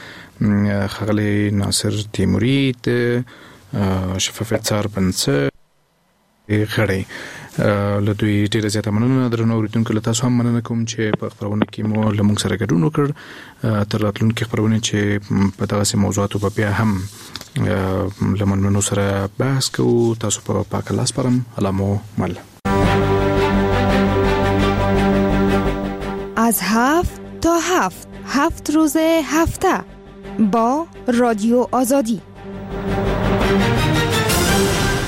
ښاغلی ناصر تیموري د شفافیت څار بنسټ غړی، له دوی ډیره زیاته مننه. درنو اوریدونکو، له تاسو هم مننه کوم چې په خپرونه کې مو له موږ سره ګډون وکړ. تر راتلونکي خپرونې چې په دغسې موضوعاتو به بیا هم له مېلمنو سره بحث کوو، تاسو په پاک الله سپارم. الله مو مل. از 7 تا 7، 7 روز هفته با رادیو آزادی.